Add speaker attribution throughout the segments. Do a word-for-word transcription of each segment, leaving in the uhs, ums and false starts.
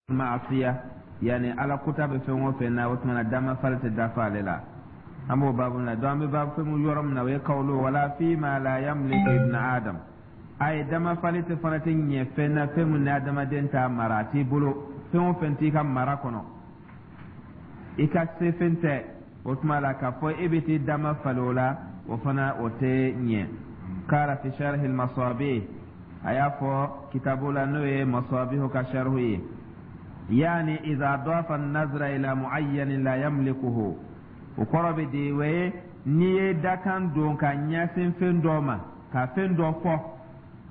Speaker 1: Maasiya, yani Ala kuta bɛ fɛn o fɛn na, o tuma na dama fali tɛ dafa ale la. An b'o baabu la. Donc an bɛ baabu fɛn mun yɔrɔ min na, o ye kawlo wala fima la yamliku ibn Adam. A ye dama fali tɛ fana tɛ ɲɛ fɛn na, fɛn mun ni adamaden t'a mara, a t'i bolo. Fɛn o fɛn t'i ka mara kɔnɔ, i ka se fɛn tɛ, o tuma la k'a fɔ e bɛ t'i dama fali o la, o fana o tɛ ɲɛ. Kala fi sharhi al-masabih, a y'a fɔ kitabu la, n'o ye Masabihu ka sharhu ye: yani idha dafa an-nazra ila muayyanin la yamlikuhu. O kɔrɔ bɛ di? O ye n'i ye dakan don ka ɲɛsin fɛn dɔ ma, ka fɛn dɔ fɔ,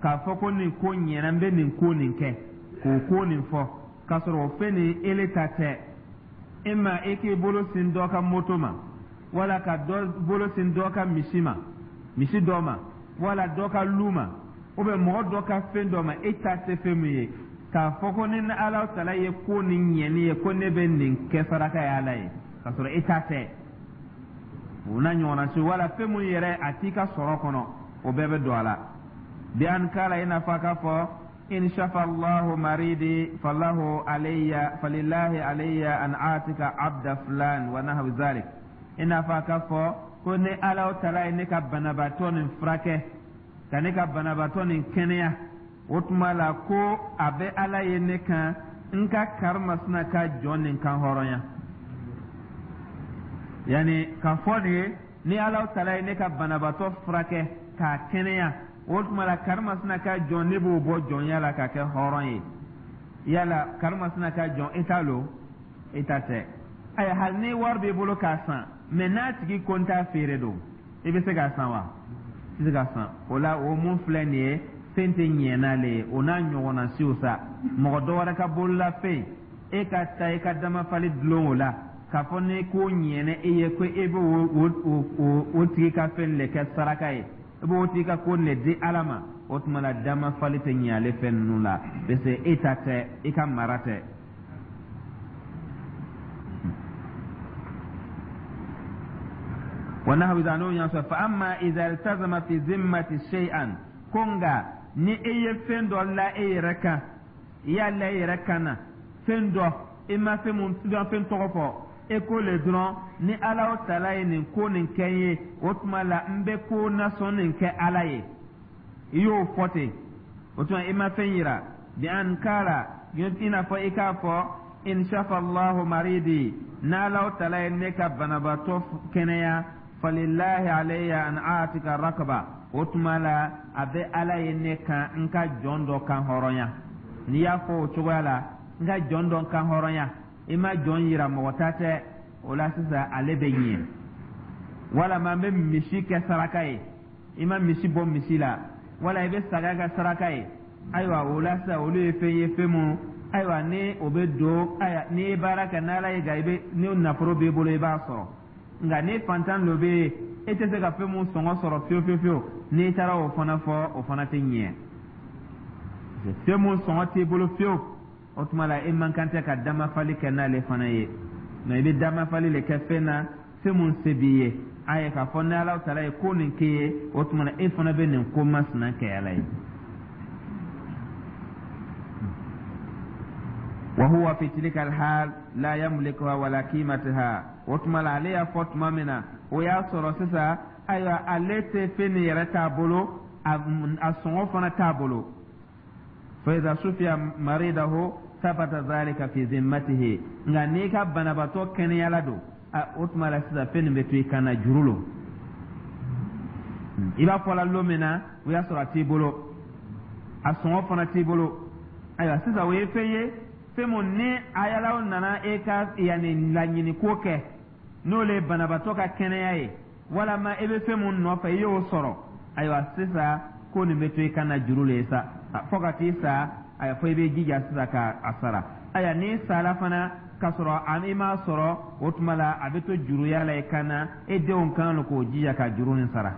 Speaker 1: k'a fɔ ko nin ko ɲɛna, n bɛ nin ko nin kɛ, k'o ko nin fɔ, k'a sɔrɔ o fɛn nin ele ta tɛ. E ma e k'i bolo sin dɔ ka moto ma, wala ka dɔ bolo sin dɔ ka misi ma, misi dɔ ma, wala dɔ ka lu ma, ou bien mɔgɔ dɔ ka fɛn dɔ ma, e ta tɛ fɛn min ye, k'a fɔ ko ni Ala tala ye ko nin ɲɛni ye, ko ne bɛ nin kɛ saraka ye Ala ye, k'a sɔrɔ e ta tɛ, o n'a ɲɔgɔnna si, wala fɛn mun yɛrɛ a t'i ka sɔrɔ kɔnɔ, o bɛɛ bɛ don a la. Bi an kala, i n'a fɔ a k'a fɔ: in shafa Allahu maridi falahu alayya falillahi alayya an atika abda fulan wa nahwi zalik. I n'a fɔ a k'a fɔ ko ni Ala tala ye ne ka banabaatɔ nin furakɛ, ka ne ka banabaatɔ nin kɛnɛya, o tuma la ko a bɛ Ala ye ne kan n ka karimasina ka jɔn nin kan hɔrɔnya. Yani k'a fɔ de ye, ni Ala tala ye ne ka banabaatɔ furakɛ k'a kɛnɛya, o tuma la karimasina ka jɔn, ne b'o bɔ jɔnya la k'a kɛ hɔrɔn ye. Yala karimasina ka jɔn, e t'a lo, e ta tɛ. Ayi, hali ni wari b'i bolo k'a san, mɛ n'a tigi ko n t'a feere don, i bɛ se k'a san wa? I tɛ se k'a san. O la, o mun filɛ nin ye, fɛn tɛ ɲɛ n'ale ye. O n'a ɲɔgɔnna siw sa, mɔgɔ dɔ wɛrɛ ka bololafɛn, e ka taa i ka damafali dulon o la, k'a fɔ ni ko ɲɛnɛ e ye ko e bɛ o o o tigi ka fɛn de kɛ saraka ye, i b'o tigi ka ko de di Ala ma, o tuma la damafali tɛ ɲɛ ale fɛn ninnu la, parce que e ta tɛ, i ka mara tɛ. Wa nahwi n'o y'a sɔrɔ fa amma idha iltazama fi zimmati shay'an, ko nka ni e ye fɛn dɔ la e yɛrɛ kan, i y'a la e yɛrɛ kan na fɛn dɔ, i ma fɛn mun fɛn tɔgɔ fɔ, e ko le dɔrɔn ni Ala tala ye nin ko nin kɛ n ye, o tuma la n bɛ ko nasɔn nin kɛ Ala ye, i y'o fɔ ten, o tuma i ma fɛn yira. Bi an kala, i n'a fɔ i k'a fɔ: in shafa Allahu maridi, n'Ala tala ye ne ka banabaatɔ kɛnɛya, falilahi alayya an atika rakaba, o tuma la a bɛ Ala ye ne kan n ka jɔn dɔ kan hɔrɔnya. N'i y'a fɔ o cogoya la, n ka jɔn dɔ kan hɔrɔnya, i ma jɔn yira, mɔgɔ ta tɛ, o la sisan ale bɛ ɲɛ. Walama n bɛ misi kɛ saraka ye, i ma misi bɔ misi la, wala i bɛ saga kɛ saraka ye. Ayiwa, o la sisan olu ye fɛn ye, fɛn mun, ayiwa, ni o bɛ don. Ayiwa, n'i ye baara kɛ n'Ala ye, nka i bɛ ni nafolo b'i bolo, i b'a sɔrɔ. Nka ni fantan dɔ bɛ yen, e tɛ se ka fɛn mun sɔngɔ sɔrɔ fiyewu fiyewu fiyewu, n'i taara o fana fɔ, o fana tɛ ɲɛ. Fɛn mun sɔngɔ t'i bolo fiyewu, o tuma la e man kan tɛ ka damafali kɛ n'ale fana ye. Nka i bɛ damafali de kɛ fɛn na, fɛn mun se b'i ye. A ye k'a fɔ ni Ala taala ye ko nin k'i ye, o tuma na e fana bɛ nin ko masina kɛ Ala ye. Wa huwa fi tilka alhal la yamlikuha wala qimataha. O tuma la ale y'a fɔ tuma min na, o y'a sɔrɔ sisan, ayiwa, ale tɛ fɛn nin yɛrɛ t'a bolo, a sɔngɔ fana t'a bolo. Fa idha sufiya maridahu sabata dhalika fi zimmatihi. Nka n'i ka banabaatɔ kɛnɛyala don, o tuma la sisan fɛn nin bɛ to i kan na, juru lo. I b'a fɔ la lon min na, o y'a sɔrɔ a t'i bolo, a sɔngɔ fana t'i bolo. Ayiwa, sisan o ye fɛn ye, fɛn mun ni ayalaw nana e ka yanni laɲini ko kɛ, n'o le ye banabaatɔ ka kɛnɛya ye, walama e bɛ fɛn mun nɔfɛ, i y'o sɔrɔ. Ayiwa, sisan ko nin bɛ to i kan na juru le ye sa, fo ka t'i sa. Ayiwa, fo i bɛ jija sisan ka a sara. Ayiwa, n'i sara fana k'a sɔrɔ i m'a sɔrɔ, o tuma la a bɛ to juruya la i kan na, e denw kan k'o jija ka juru nin sara.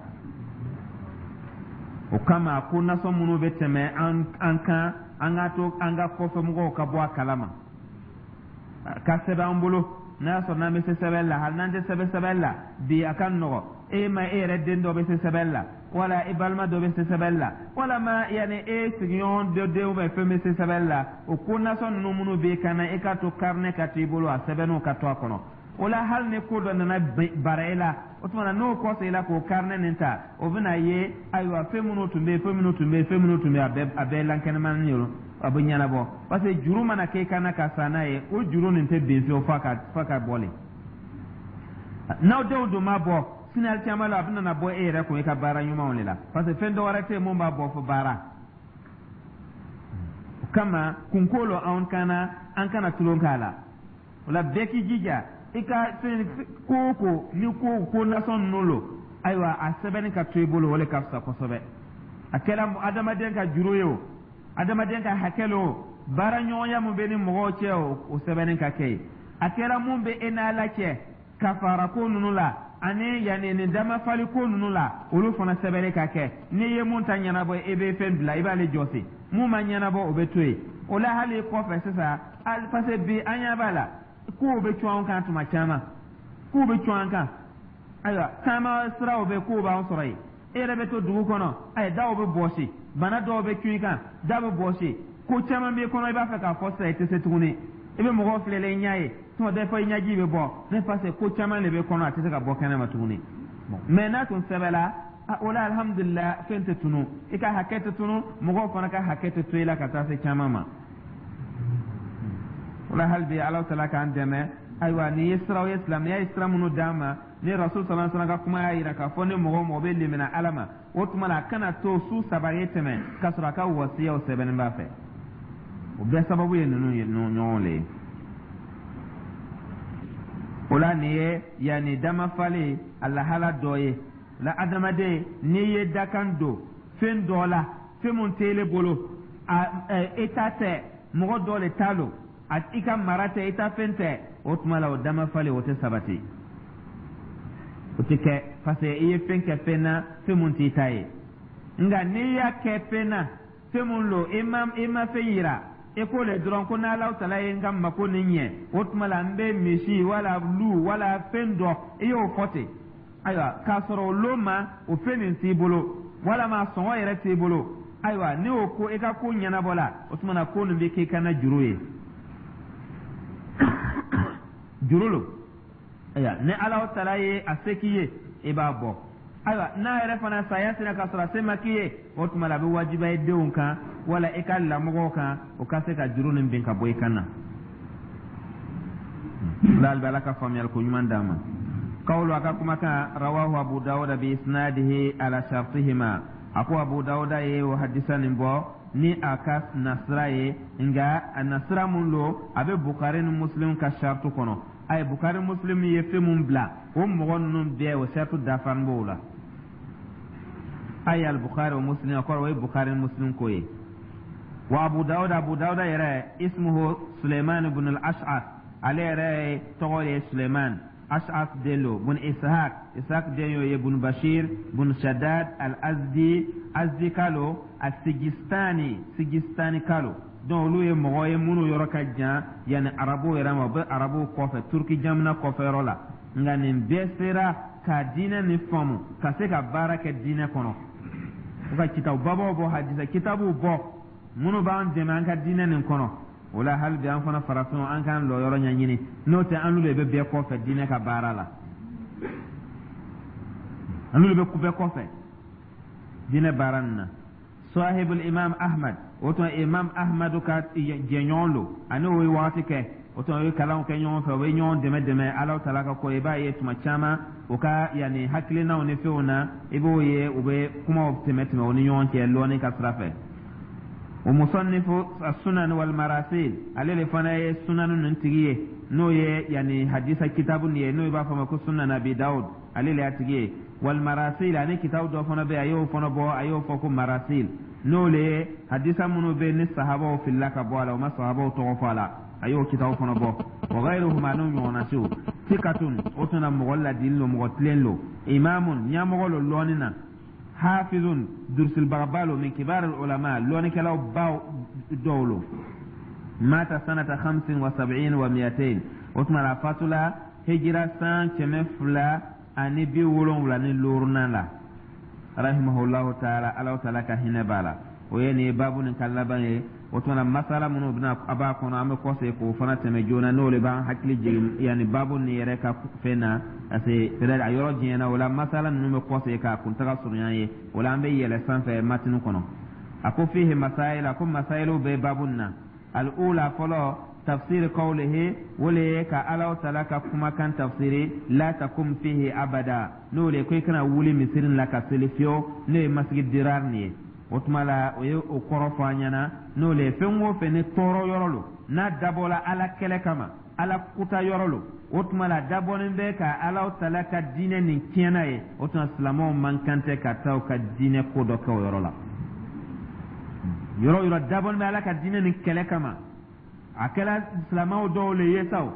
Speaker 1: O kama ko nasɔn minnu bɛ tɛmɛ an an kan, an ka to an ka kɔfɛmɔgɔw ka bɔ a kalama, ka sɛbɛn an bolo, n'a y'a sɔrɔ n'an bɛ se sɛbɛn la. Hali n'an tɛ sɛbɛn sɛbɛn la bi, a ka nɔgɔ. E ma e yɛrɛ den dɔ bɛ se sɛbɛnni la, wala i balima dɔ bɛ se sɛbɛnni la, walama yanni e sigiɲɔgɔn dɔ denw bɛ fɛn bɛ se sɛbɛnni la, o ko nasɔn ninnu minnu b'i kan na, i k'a to carnet ka to i bolo, a sɛbɛnniw ka to a kɔnɔ. O la, hali ni ko dɔ nana bara e la, o tuma na n'o kɔsegin i la k'o carnet nin ta, o bɛna ye, ayiwa, fɛn minnu tun bɛ yen, fɛn minnu tun bɛ yen, fɛn minnu tun bɛ yen, a bɛɛ a bɛɛ lankɛnɛmani ye, a bɛ ɲɛnabɔ, parce que juru mana k'e kan na ka san n'a ye, o juru nin tɛ bin fiyewu f'a ka f'a ka bɔ le. N'aw denw dun ma bɔ sini, alikiyama la, a bɛna na bɔ e yɛrɛ kun i ka baara ɲumanw de la, parce que fɛn dɔ wɛrɛ tɛ yen mun b'a bɔ fo baara. O kama, kunko lo anw kana an kana tulon k'a la. O la, bɛɛ k'i jija i ka fɛn ko o ko ni ko ko nasɔn ninnu lo, ayiwa, a sɛbɛnni ka to i bolo, o de ka fisa kosɛbɛ. A kɛra adamaden ka juru ye o, adamaden ka hakɛ lo o, baara ɲɔgɔnya mun bɛ ni mɔgɔw cɛ o, o sɛbɛnni ka kɛ yen. A kɛra mun bɛ e n'Ala cɛ, kafara ko ninnu la ani yanni nin damafali ko ninnu la, olu fana sɛbɛnni ka kɛ. N'i ye mun ta ɲɛnabɔ, i bɛ fɛn bila, i b'ale jɔsi. Mun ma ɲɛnabɔ, o bɛ to yen. O la, hali kɔfɛ sisan, parce que bi an ɲɛ b'a la, kow bɛ cun an kan tuma caman, kow bɛ cun an kan. Ayiwa, taama siraw bɛ, kow b'an sɔrɔ yen. E yɛrɛ bɛ to dugu kɔnɔ, ayi, daw bɛ bɔsi, bana dɔw bɛ cun i kan, da bɛ bɔsi, ko caman b'i kɔnɔ, i b'a fɛ k'a fɔ sisan, i tɛ se tuguni. I bɛ mɔgɔw filɛ i ɲɛ ye, tuma dɔ fɔ i ɲɛji bɛ bɔ ne, parce que ko caman de bɛ kɔnɔ, a tɛ se ka bɔ kɛnɛ ma tuguni. Mais n'a tun sɛbɛnla o la, alhamdulilah, fɛn tɛ tunu, i ka hakɛ tɛ tunu, mɔgɔw fana ka hakɛ tɛ to i la ka taa se caman ma. O la, hali bi, Ala tala k'an dɛmɛ. Ayiwa, nin ye siraw ye, silamɛya ye sira minnu d'an ma, ni Rasul sallallahu alaihi wasallam ka kuma y'a yira k'a fɔ ni mɔgɔ o mɔgɔ bɛ limina Ala ma, o tuma na a kana to su saba ye tɛmɛ k'a sɔrɔ a ka wasiyaw sɛbɛnnen b'a fɛ. O bɛɛ sababu ye ninnu ye ɲɔgɔn le ye. O la, nin ye yanni damafalen a lahala dɔ ye la. Adamaden, n'i ye dakan don fɛn dɔ la, fɛn mun t'ele bolo, a e ta tɛ, mɔgɔ dɔ le ta lo, a i ka mara tɛ, i ta fɛn tɛ, o tuma la o damafalen o tɛ sabati, o tɛ kɛ, parce que i ye fɛn kɛ fɛn na, fɛn mun t'i ta ye. Nka n'i y'a kɛ fɛn na, fɛn mun lo, i ma i ma fɛn yira, i ko le dɔrɔn ko n'Ala tala ye n ka mako nin ɲɛ, o tuma la n bɛ misi wala lu wala fɛn dɔ, i y'o fɔ ten. Ayiwa, k'a sɔrɔ o lon ma, o fɛn nin t'i bolo, walama sɔngɔ yɛrɛ t'i bolo. Ayiwa, ni o ko i ka ko ɲɛnabɔ la, o tuma na ko nin bɛ k'i kana juru ye, juru lo. Ayiwa, ni Ala tala ye a se k'i ye, i b'a bɔ. Ayiwa, n'a yɛrɛ fana saya sera k'a sɔrɔ a se ma k'i ye, o tuma la a bɛ wajibiya i denw kan wala i ka lamɔgɔw kan, o ka se ka juru nin bin ka bɔ i kan na. Hali bi, Ala ka faamuyali ko ɲuman d'an ma. Kawulu, a ka kumakan, rawahu Abu Dawuda bi isnadihi ala shartihima. A ko Abu Dawuda ye o hadisa nin bɔ ni a ka nasira ye, nka a nasira mun lo, a bɛ Bukari ni Muslim ka shartu kɔnɔ. Ayi, Bukari, Muslim ye fɛn mun bila, o mɔgɔ ninnu bɛɛ, o shartu dafalen b'o la. Ayi, al Bukhari wa Muslim, a kɔrɔ o ye Bukhari ni Muslim ko ye. Wa Abu Dawuda, Abu Dawuda yɛrɛ, ismuhu Suleiman ibn al-Ash'ath, ale yɛrɛ tɔgɔ ye Suleiman Ash'ath den lo, bun Ishaq, Ishaq den y'o ye, bun Bashir bun Shaddad al-Azdi, Azdi kalo, al-Sijistani, Sijistani kalo. Donc olu ye mɔgɔ ye minnu yɔrɔ ka jan yanni arabuw yɛrɛ ma, u bɛ arabuw kɔfɛ, Turki jamana kɔfɛ yɔrɔ la. Nka nin bɛɛ sera ka diinɛ nin faamu, ka se ka baara kɛ diinɛ kɔnɔ, u ka kitabu babaw bɔ, hadisa kitabuw bɔ minnu b'an dɛmɛ an ka diinɛ nin kɔnɔ. O la, hali bi, an fana farafinw, an k'an lɔ yɔrɔ ɲɛɲini, n'o tɛ an de bɛ bɛɛ kɔfɛ diinɛ ka baara la, an de bɛ bɛɛ kɔfɛ diinɛ baara nin na. Sahibul Imam Ahmad, o tuma Imam Ahmadu ka jɛɲɔgɔn lo, ani o ye wagati kɛ, o tuma o ye kalanw kɛ ɲɔgɔn fɛ, o bɛ ɲɔgɔn dɛmɛ dɛmɛ Ala tala ka ko. I b'a ye tuma caman, u ka yanni hakilinaw ni fɛnw na, i b'o ye u bɛ kumaw tɛmɛ tɛmɛ u ni ɲɔgɔn cɛ lɔnni ka sira fɛ. O musannifu sunan wal marasil, ale de fana ye sunan ninnu tigi ye, n'o ye yanni hadisa kitabu nin ye, n'o b'a fɔ ma ko Sunan Abi Dawud, ale de y'a tigi ye. Wal marasil, ani kitabu dɔ fana bɛ yen, a y'o fana bɔ, a y'o fɔ ko marasil, n'o le ye hadisa minnu bɛ yen ni sahabaw filila ka bɔ a la, o ma sahabaw tɔgɔ fɔ a la, a y'o kitabu fana bɔ. Wa ghayruhuma, n'o ɲɔgɔnna siw. Sikatun, o tun na mɔgɔ ladili lo, mɔgɔ tilen lo, imamun, ɲɛmɔgɔ lo lɔnni na, hafizun, durusilibagaba lo, min kibar ulama, lɔnnikɛlaw baw dɔw lo. Mata sanata khamsin wa sab'in wa miatain, o tuma la a fatula hijira san kɛmɛ fila ani bi seegin ani wolonfila. ani bi wolonwula ni luurunan la, rahimahullahu taala, Alahu taala ka hinɛ b'a la. O ye nin ye baabu nin ka laban ye. O tuma na, masala minnu bɛna a b'a kɔnɔ, an bɛ kɔsegin k'o fana tɛmɛ joona, n'o de b'an hakili jigin yanni baabu nin yɛrɛ ka fɛn na, parce que peut-être a yɔrɔ janyana. O la, masala ninnu bɛ kɔsegin k'a kuntaga surunya ye. O la, an bɛ yɛlɛ sanfɛ matinu kɔnɔ. A ko fihi masail, a ko masailu bɛ baabu nin na. Al-ula, fɔlɔ, tafsir qawlihi, o le ye ka Alahu taala ka kumakan tafsiri, la takum fihi abada, n'o le ko i kana wuli misiri la ka seli fiyewu, n'o ye masigi dirar nin ye. O tuma la, o ye o kɔrɔ fɔ an ɲɛna, n'o le ye fɛn o fɛn ni tɔɔrɔ yɔrɔ lo, n'a dabɔla Ala kɛlɛ kama, Ala kuta yɔrɔ lo, o tuma la dabɔnen bɛ ka Alahu taala ka diinɛ nin tiɲɛna ye. O tuma, silamɛw man kan tɛ ka taa u ka diinɛ ko dɔ kɛ o yɔrɔ la. Yɔrɔ o yɔrɔ dabɔnen bɛ Ala ka diinɛ nin kɛlɛ kama, a kɛra silamɛw dɔw le ye sa o,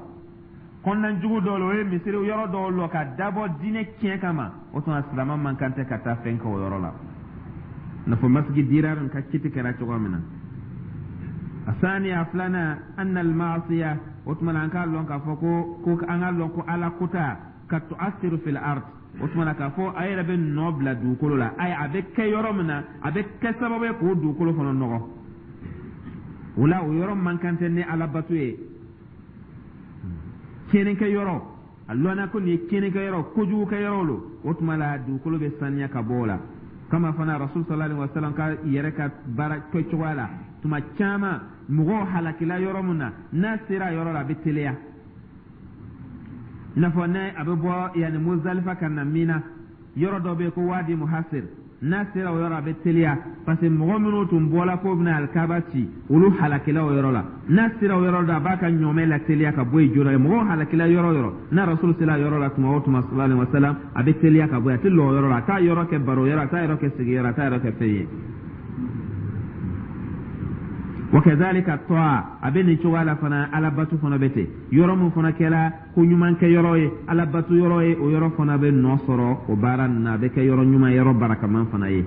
Speaker 1: kɔnɔnajugu dɔw le, o ye misiri yɔrɔ dɔw lɔ ka dabɔ diinɛ tiɲɛ kama, o tuma silamɛ man kan tɛ ka taa fɛn kɛ o yɔrɔ la, n'a fɔ masigi dirar ka kiti kɛra cogo min na. Asaniya, filanan, anna almaasiya, o tuma na an k'a lɔn k'a fɔ ko ko an k'a lɔn ko Ala kota ka tuasiru fil ard, o tuma na k'a fɔ a yɛrɛ bɛ nɔ bila dugukolo la. Ayi, a bɛ kɛ yɔrɔ min na, a bɛ kɛ sababu ye k'o dugukolo fana nɔgɔ. O la, o yɔrɔ man kan tɛ ni Ala bato ye. Tiɲɛnikɛ yɔrɔ, a lɔnna ko nin ye tiɲɛnikɛ yɔrɔ, kojugu kɛ yɔrɔ lo, o tuma la dugukolo bɛ saniya ka bɔ o la. Kama fana Rasul sallallahu alaihi wasallam ka yɛrɛ ka baara kɛ cogoya la, tuma caman mɔgɔw halakila yɔrɔ min na, n'a sera a yɔrɔ la, a bɛ teliya, i n'a fɔ n'a a bɛ bɔ yanni Muzalifa ka na Mina, yɔrɔ dɔ bɛ yen ko Wadi Muhasir. N'a sera o yɔrɔ, a bɛ teliya, parce que mɔgɔ minnu tun bɔla k'o bɛna alikaba ci, olu halakila o yɔrɔ la. N'a sera o yɔrɔ la, a b'a ka ɲɔmɛ la teliya ka bɔ yen joona. Mɔgɔw halakila yɔrɔ o yɔrɔ, n'a Rasul sera yɔrɔ la tuma o tuma, sallallahu alaihi wasallam, a bɛ teliya ka bɔ yen. A tɛ lɔ o yɔrɔ la, a t'a yɔrɔ kɛ baro yɔrɔ, a t'a yɔrɔ kɛ sigiyɔrɔ, a t'a yɔrɔ kɛ fɛn ye. Wa kadhalika ta'a, a bɛ nin cogoya la fana, Alabatu fana bɛ ten. Yɔrɔ min fana kɛra ko ɲuman kɛ yɔrɔ ye, Alabatu yɔrɔ ye, o yɔrɔ fana bɛ nɔ sɔrɔ o baara nin na, a bɛ kɛ yɔrɔ ɲuman, yɔrɔ barakaman fana ye.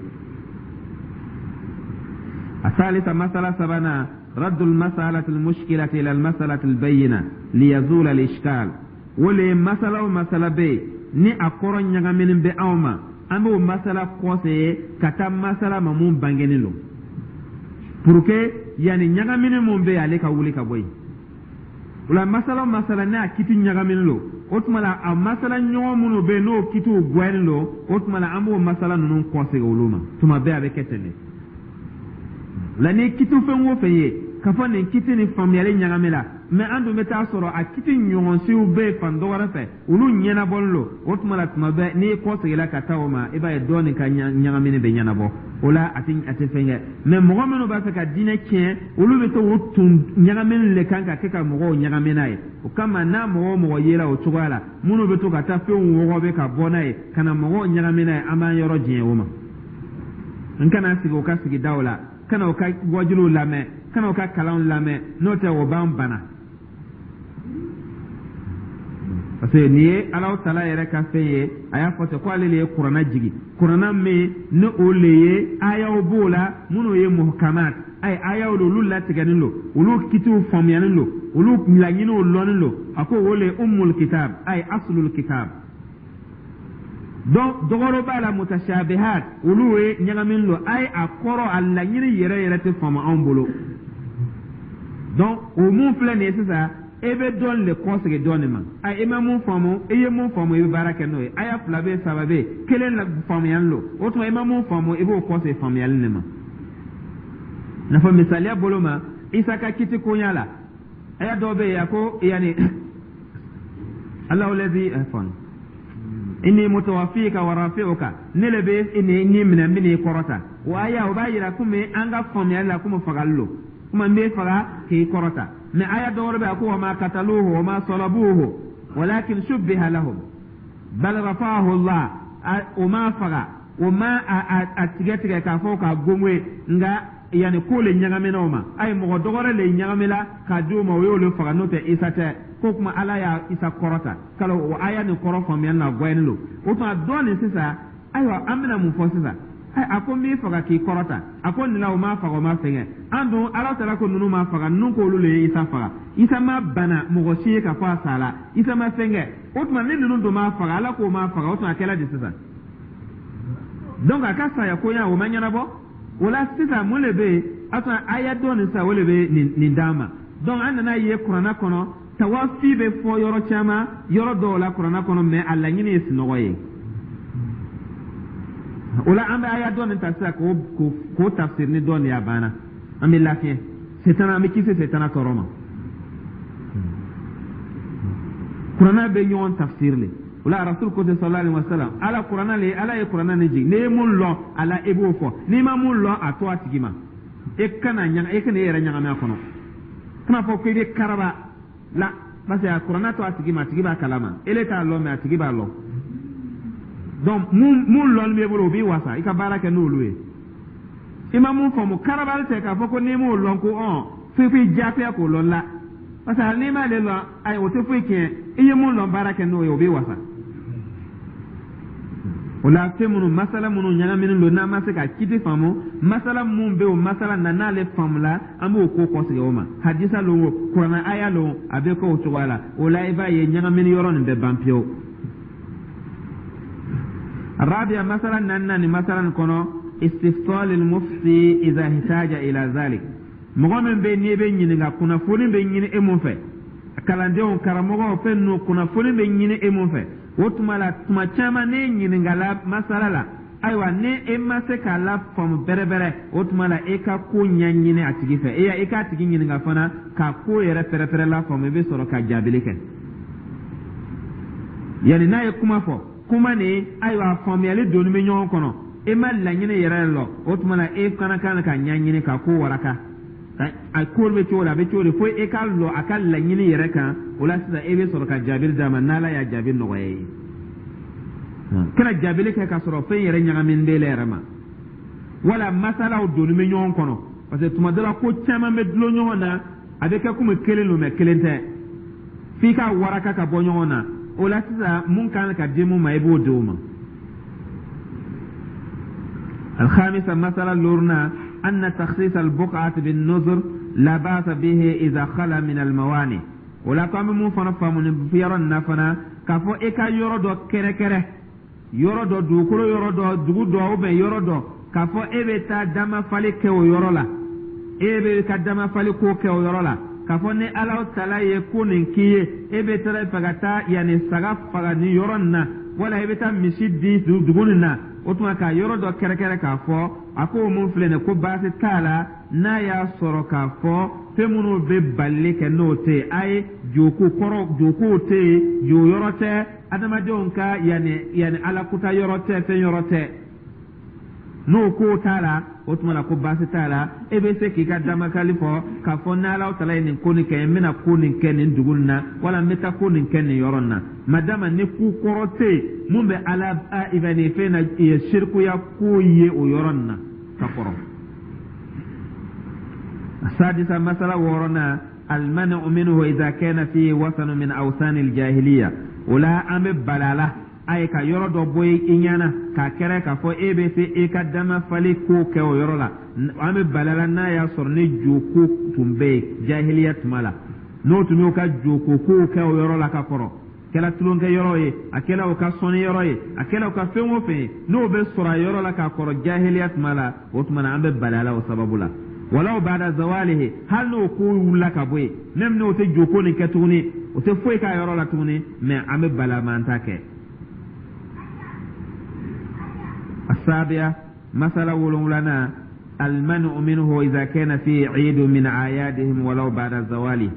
Speaker 1: الثالثة, مسألة سبنا, رد المسألة المشكلة إلى المسألة البينة ليزول الإشكال. Wole masala o masala bɛ ni a kɔrɔ ɲagaminen bɛ anw ma, an b'o masala kɔsegin ka taa masala ma mun bangenen don, pour que yanni ɲagamini mun bɛ yen, ale ka wuli ka bɔ yen. O la, masala o masala ne a kiti ɲagaminen don, o tuma la a masala ɲɔgɔn minnu bɛ yen, n'o kitiw gwɛnnen don, o tuma la an b'o masala ninnu kɔsegin olu ma. Tuma bɛɛ a bɛ kɛ ten de la. Ni kiti fɛn o fɛn ye k'a fɔ nin kiti ni faamuyali ɲagami la, mɛ an dun bɛ taa sɔrɔ a kiti ɲɔgɔnsiw bɛ yen fan dɔ wɛrɛ fɛ, olu ɲɛnabɔlen don, o tuma la tuma bɛɛ n'i kɔseginna ka taa o ma, i b'a ye dɔɔnin ka ɲagamini bɛ ɲɛnabɔ. O la, a tɛ a tɛ fɛn kɛ. Mɛ mɔgɔ minnu b'a fɛ ka diinɛ tiɲɛ, olu bɛ to o tun ɲagamini le kan ka kɛ ka mɔgɔw ɲagami n'a ye. O kama, n'a mɔgɔ o mɔgɔ yera o cogoya la, minnu bɛ to ka taa fɛnw wɔgɔbɛ ka bɔ n'a ye ka na mɔgɔw ɲagami n'a ye, an b'an yɔrɔ jɛn o ma. N kana sigi o ka sigidaw la, kana o ka wajuliw lamɛn, kana o ka kalanw lamɛn, n'o tɛ o b'an bana, parce que nin ye Alahu taala yɛrɛ ka fɛn ye. A y'a fɔ ten ko ale de ye Kuranna jigi, Kuranna min ni o le ye ayaw b'o la minnu ye muhkamat, ayi, ayaw don, olu latigɛlen don, olu kitiw faamuyalen don, olu laɲiniw lɔnnen don. A ko o le ye ummul kitab, ayi, aslul kitab. Donc dɔgɔrɔ b'a la, mutashabihat, olu ye ɲagamin don, ayi, a kɔrɔ, a laɲini yɛrɛ yɛrɛ tɛ faamu anw bolo. Donc o mun filɛ nin ye sisan, e bɛ dɔɔnin de kɔsegin dɔɔnin ma. A i ma mun faamu, i ye mun faamu, i bɛ baara kɛ n'o ye. Aya fila bɛ yen, saba bɛ yen, kelen la faamuyali don. O tuma, i ma mun faamu, i b'o kɔsegin faamuyali de ma. N'a fɔ misaliya bolo ma, Isa ka kiti koɲa la, aya dɔw bɛ yen, a ko yanni Alahu lɛzi fɔn inni mutawaffika wa rafi'uka, ne le bɛ ni ni minɛ, n bɛ n'i kɔrɔta. O aya, o b'a yira komi an ka faamuyali la komi fagali lo, komi n bɛ faga k'i kɔrɔta. Mɛ aya dɔ wɛrɛ bɛ yen, a ko wa ma kataluhu wa ma salabuhu walakin shubbiha lahum bal rafa'ahu Allah. O ma faga, o ma a tigɛ tigɛ k'a fɔ k'a gongoye, nka yanni ko le ɲagamina o ma, ayi, mɔgɔ dɔ wɛrɛ le ɲagamina k'a di o ma, o y'olu faga, n'o tɛ Isa tɛ. Ko kuma Ala y'a Isa kɔrɔta kalo, o aya nin kɔrɔ faamuyali na gɔyɛni don. O tuma dɔɔnin sisan, ayiwa, an bɛna mun fɔ sisan? A ko n b'i faga k'i kɔrɔta. A ko nin la, o ma faga, o ma fɛngɛ. An dun Ala taara ko ninnu ma faga, ninnu ko olu le ye Isa faga. Isa ma bana mɔgɔ si ye k'a fɔ a sala, Isa ma fɛngɛ. O tuma ni ninnu dun m'a faga, Ala k'o m'a faga, o tuma a kɛla di sisan? Donc a ka saya koɲa o ma ɲɛnabɔ. O la sisan, mun de bɛ yen? A tuma aya dɔ nin sisan, o de bɛ nin nin d'an ma. Donc an nana ye kuranna kɔnɔ, tawafi bɛ fɔ yɔrɔ caman, yɔrɔ dɔw la kuranna kɔnɔ, mais a laɲini ye sunɔgɔ ye. O la an bɛ aya dɔ nin ta sisan k'o k'o tafsir ni dɔ nin ye, a banna, an bɛ lafiɲɛ setana, an bɛ kisi setana tɔɔrɔ ma. Kuranna bɛ ɲɔgɔn tafsir le. O la Rasul ko ten, sallallahu alaihi wa sallam, Ala kuranna le, Ala ye kuranna nin jigin. N'i ye mun lɔn a la, i b'o fɔ. N'i ma mun lɔn, a to a tigi ma. E kana ɲaga, e kana e yɛrɛ ɲagami a kɔnɔ, kana fɔ ko i bɛ karaba la, parce que a kuranna to a tigi ma, a tigi b'a kalama. Ele t'a lɔn, mais a tigi b'a lɔn. Donc mun mun lɔnni b'e bolo, o b'i wasa, i ka baara kɛ n'olu ye. I ma mun faamu, karabali tɛ k'a fɔ ko n'i m'o lɔn ko ɔn foyi foyi diyagoya k'o lɔn la, parce que hali n'i m'ale lɔn, ayi, o tɛ foyi tiɲɛ. I ye mun lɔn, baara kɛ n'o ye, o b'i wasa. O la fɛn minnu, masala minnu ɲagaminen don, n'an ma se ka kiti faamu, masala mun bɛ o masala na, n'ale faamula, an b'o ko kɔsegin o ma. Hadisa lon o, kuranna aya lon, a bɛ kɛ o cogoya la. O la i b'a ye ɲagamini yɔrɔ nin bɛ ban pewu. الرابعة مثلا نانani masala kɔnɔ, istifsal al-mufti idha ihtaja ila zalik. Mɔgɔ min bɛ n'i bɛ ɲininka, kunnafoni bɛ ɲini e mun fɛ, kalandenw, karamɔgɔw, fɛn ninnu, kunnafoni bɛ ɲini e mun fɛ, o tuma la, tuma caman n'e ɲininkala masala la, ayiwa, ni e ma se k'a la faamu bɛrɛbɛrɛ, o tuma la e ka ko ɲɛɲini a tigi fɛ, e i k'a tigi ɲininka fana k'a ko yɛrɛ pɛrɛpɛrɛ la faamu, i bɛ sɔrɔ ka jaabili kɛ. Yanni n'a ye kuma fɔ, kuma nin, ayiwa, faamuyali donni bɛ ɲɔgɔn kɔnɔ, e ma laɲini yɛrɛ lɔ, o tuma la e fana kan ka ɲɛɲini ka ko waraka, a ko bɛ cogo di, a bɛ cogo di, fo e ka lɔ a ka laɲini yɛrɛ kan. O la sisan e bɛ sɔrɔ ka jaabili d'a ma, n'Ala y'a jaabi nɔgɔya ye. Kana jaabili kɛ k'a sɔrɔ fɛn yɛrɛ ɲagaminen b'e la yɛrɛ ma, wala masalaw donni bɛ ɲɔgɔn kɔnɔ, parce que tuma dɔ la ko caman bɛ dulon ɲɔgɔn na, a bɛ kɛ komi kelen don, mais kelen tɛ, f'i ka waraka ka bɔ ɲɔgɔn na. O la sisan, mun kan ka di mun ma, i b'o di o ma. الخامسة مسألة لورنا، أن تخصيص البقعة بالنذر لا بأس به إذا خلا من الموانع. O la ko an bɛ mun fana faamu nin yɔrɔ nin na fana, k'a fɔ e ka yɔrɔ dɔ kɛrɛkɛrɛ, yɔrɔ dɔ, dugukolo yɔrɔ dɔ, dugu dɔ ou bien yɔrɔ dɔ, k'a fɔ e bɛ taa damafali kɛ o yɔrɔ la, e bɛ ka damafali ko kɛ o yɔrɔ la, k'a fɔ ni Ala tala ye ko nin k'i ye, e bɛ taa fɛ ka taa yanni saga faga nin yɔrɔ nin na, wala i bɛ taa misi di dugu nin na, o tuma ka yɔrɔ dɔ kɛrɛkɛrɛ k'a fɔ a ko mun filɛ nin ko baasi t'a la, n'a y'a sɔrɔ k'a fɔ fɛn minnu bɛ balili kɛ n'o tɛ yen, a ye joko kɔrɔ, jokow tɛ yen, jo yɔrɔ tɛ, adamadenw ka yanni yanni alakuta yɔrɔ tɛ, fɛn yɔrɔ tɛ, n'o ko t'a la, o tuma na ko baasi t'a la, e bɛ se k'i ka damakali fɔ k'a fɔ n'Ala tala ye nin ko nin kɛ, n bɛna ko nin kɛ nin dugu nin na, wala n bɛ taa ko nin kɛ nin yɔrɔ nin na, madama ni ku kɔrɔ tɛ yen mun bɛ Ala ibani fɛn na sirikuya ko ye o yɔrɔ nin na ka kɔrɔ. السادسة مسألة ورنا، المنع منه إذا كان فيه وثن من أوثان الجاهلية. ولا أم بلالة ayi ka yɔrɔ dɔ bɔ i ɲɛna k'a kɛrɛ k'a fɔ e bɛ se e ka dama fali ko kɛ o yɔrɔ la, an bɛ balala n'a y'a sɔrɔ ni joko tun bɛ yen jahiliya tuma la, n'o tun y'o ka joko kow kɛ o yɔrɔ la ka kɔrɔ, kɛla tulonkɛ yɔrɔ ye, a kɛla o ka sɔnni yɔrɔ ye, a kɛla o ka fɛn o fɛn ye, n'o bɛ sɔrɔ a yɔrɔ la k'a kɔrɔ jahiliya tuma la, o tuma na an bɛ balala o sababu la. Walaw bada zawalihi, hali n'o ko wulila ka bɔ yen, même n'o tɛ joko nin kɛ tuguni, o tɛ foyi k'a yɔrɔ la tuguni, mais an bɛ bala ma an t'a kɛ. السابعة مسألة ولولانا، المنع منه إذا كان فيه عيد من أعيادهم ولو بعد زواله.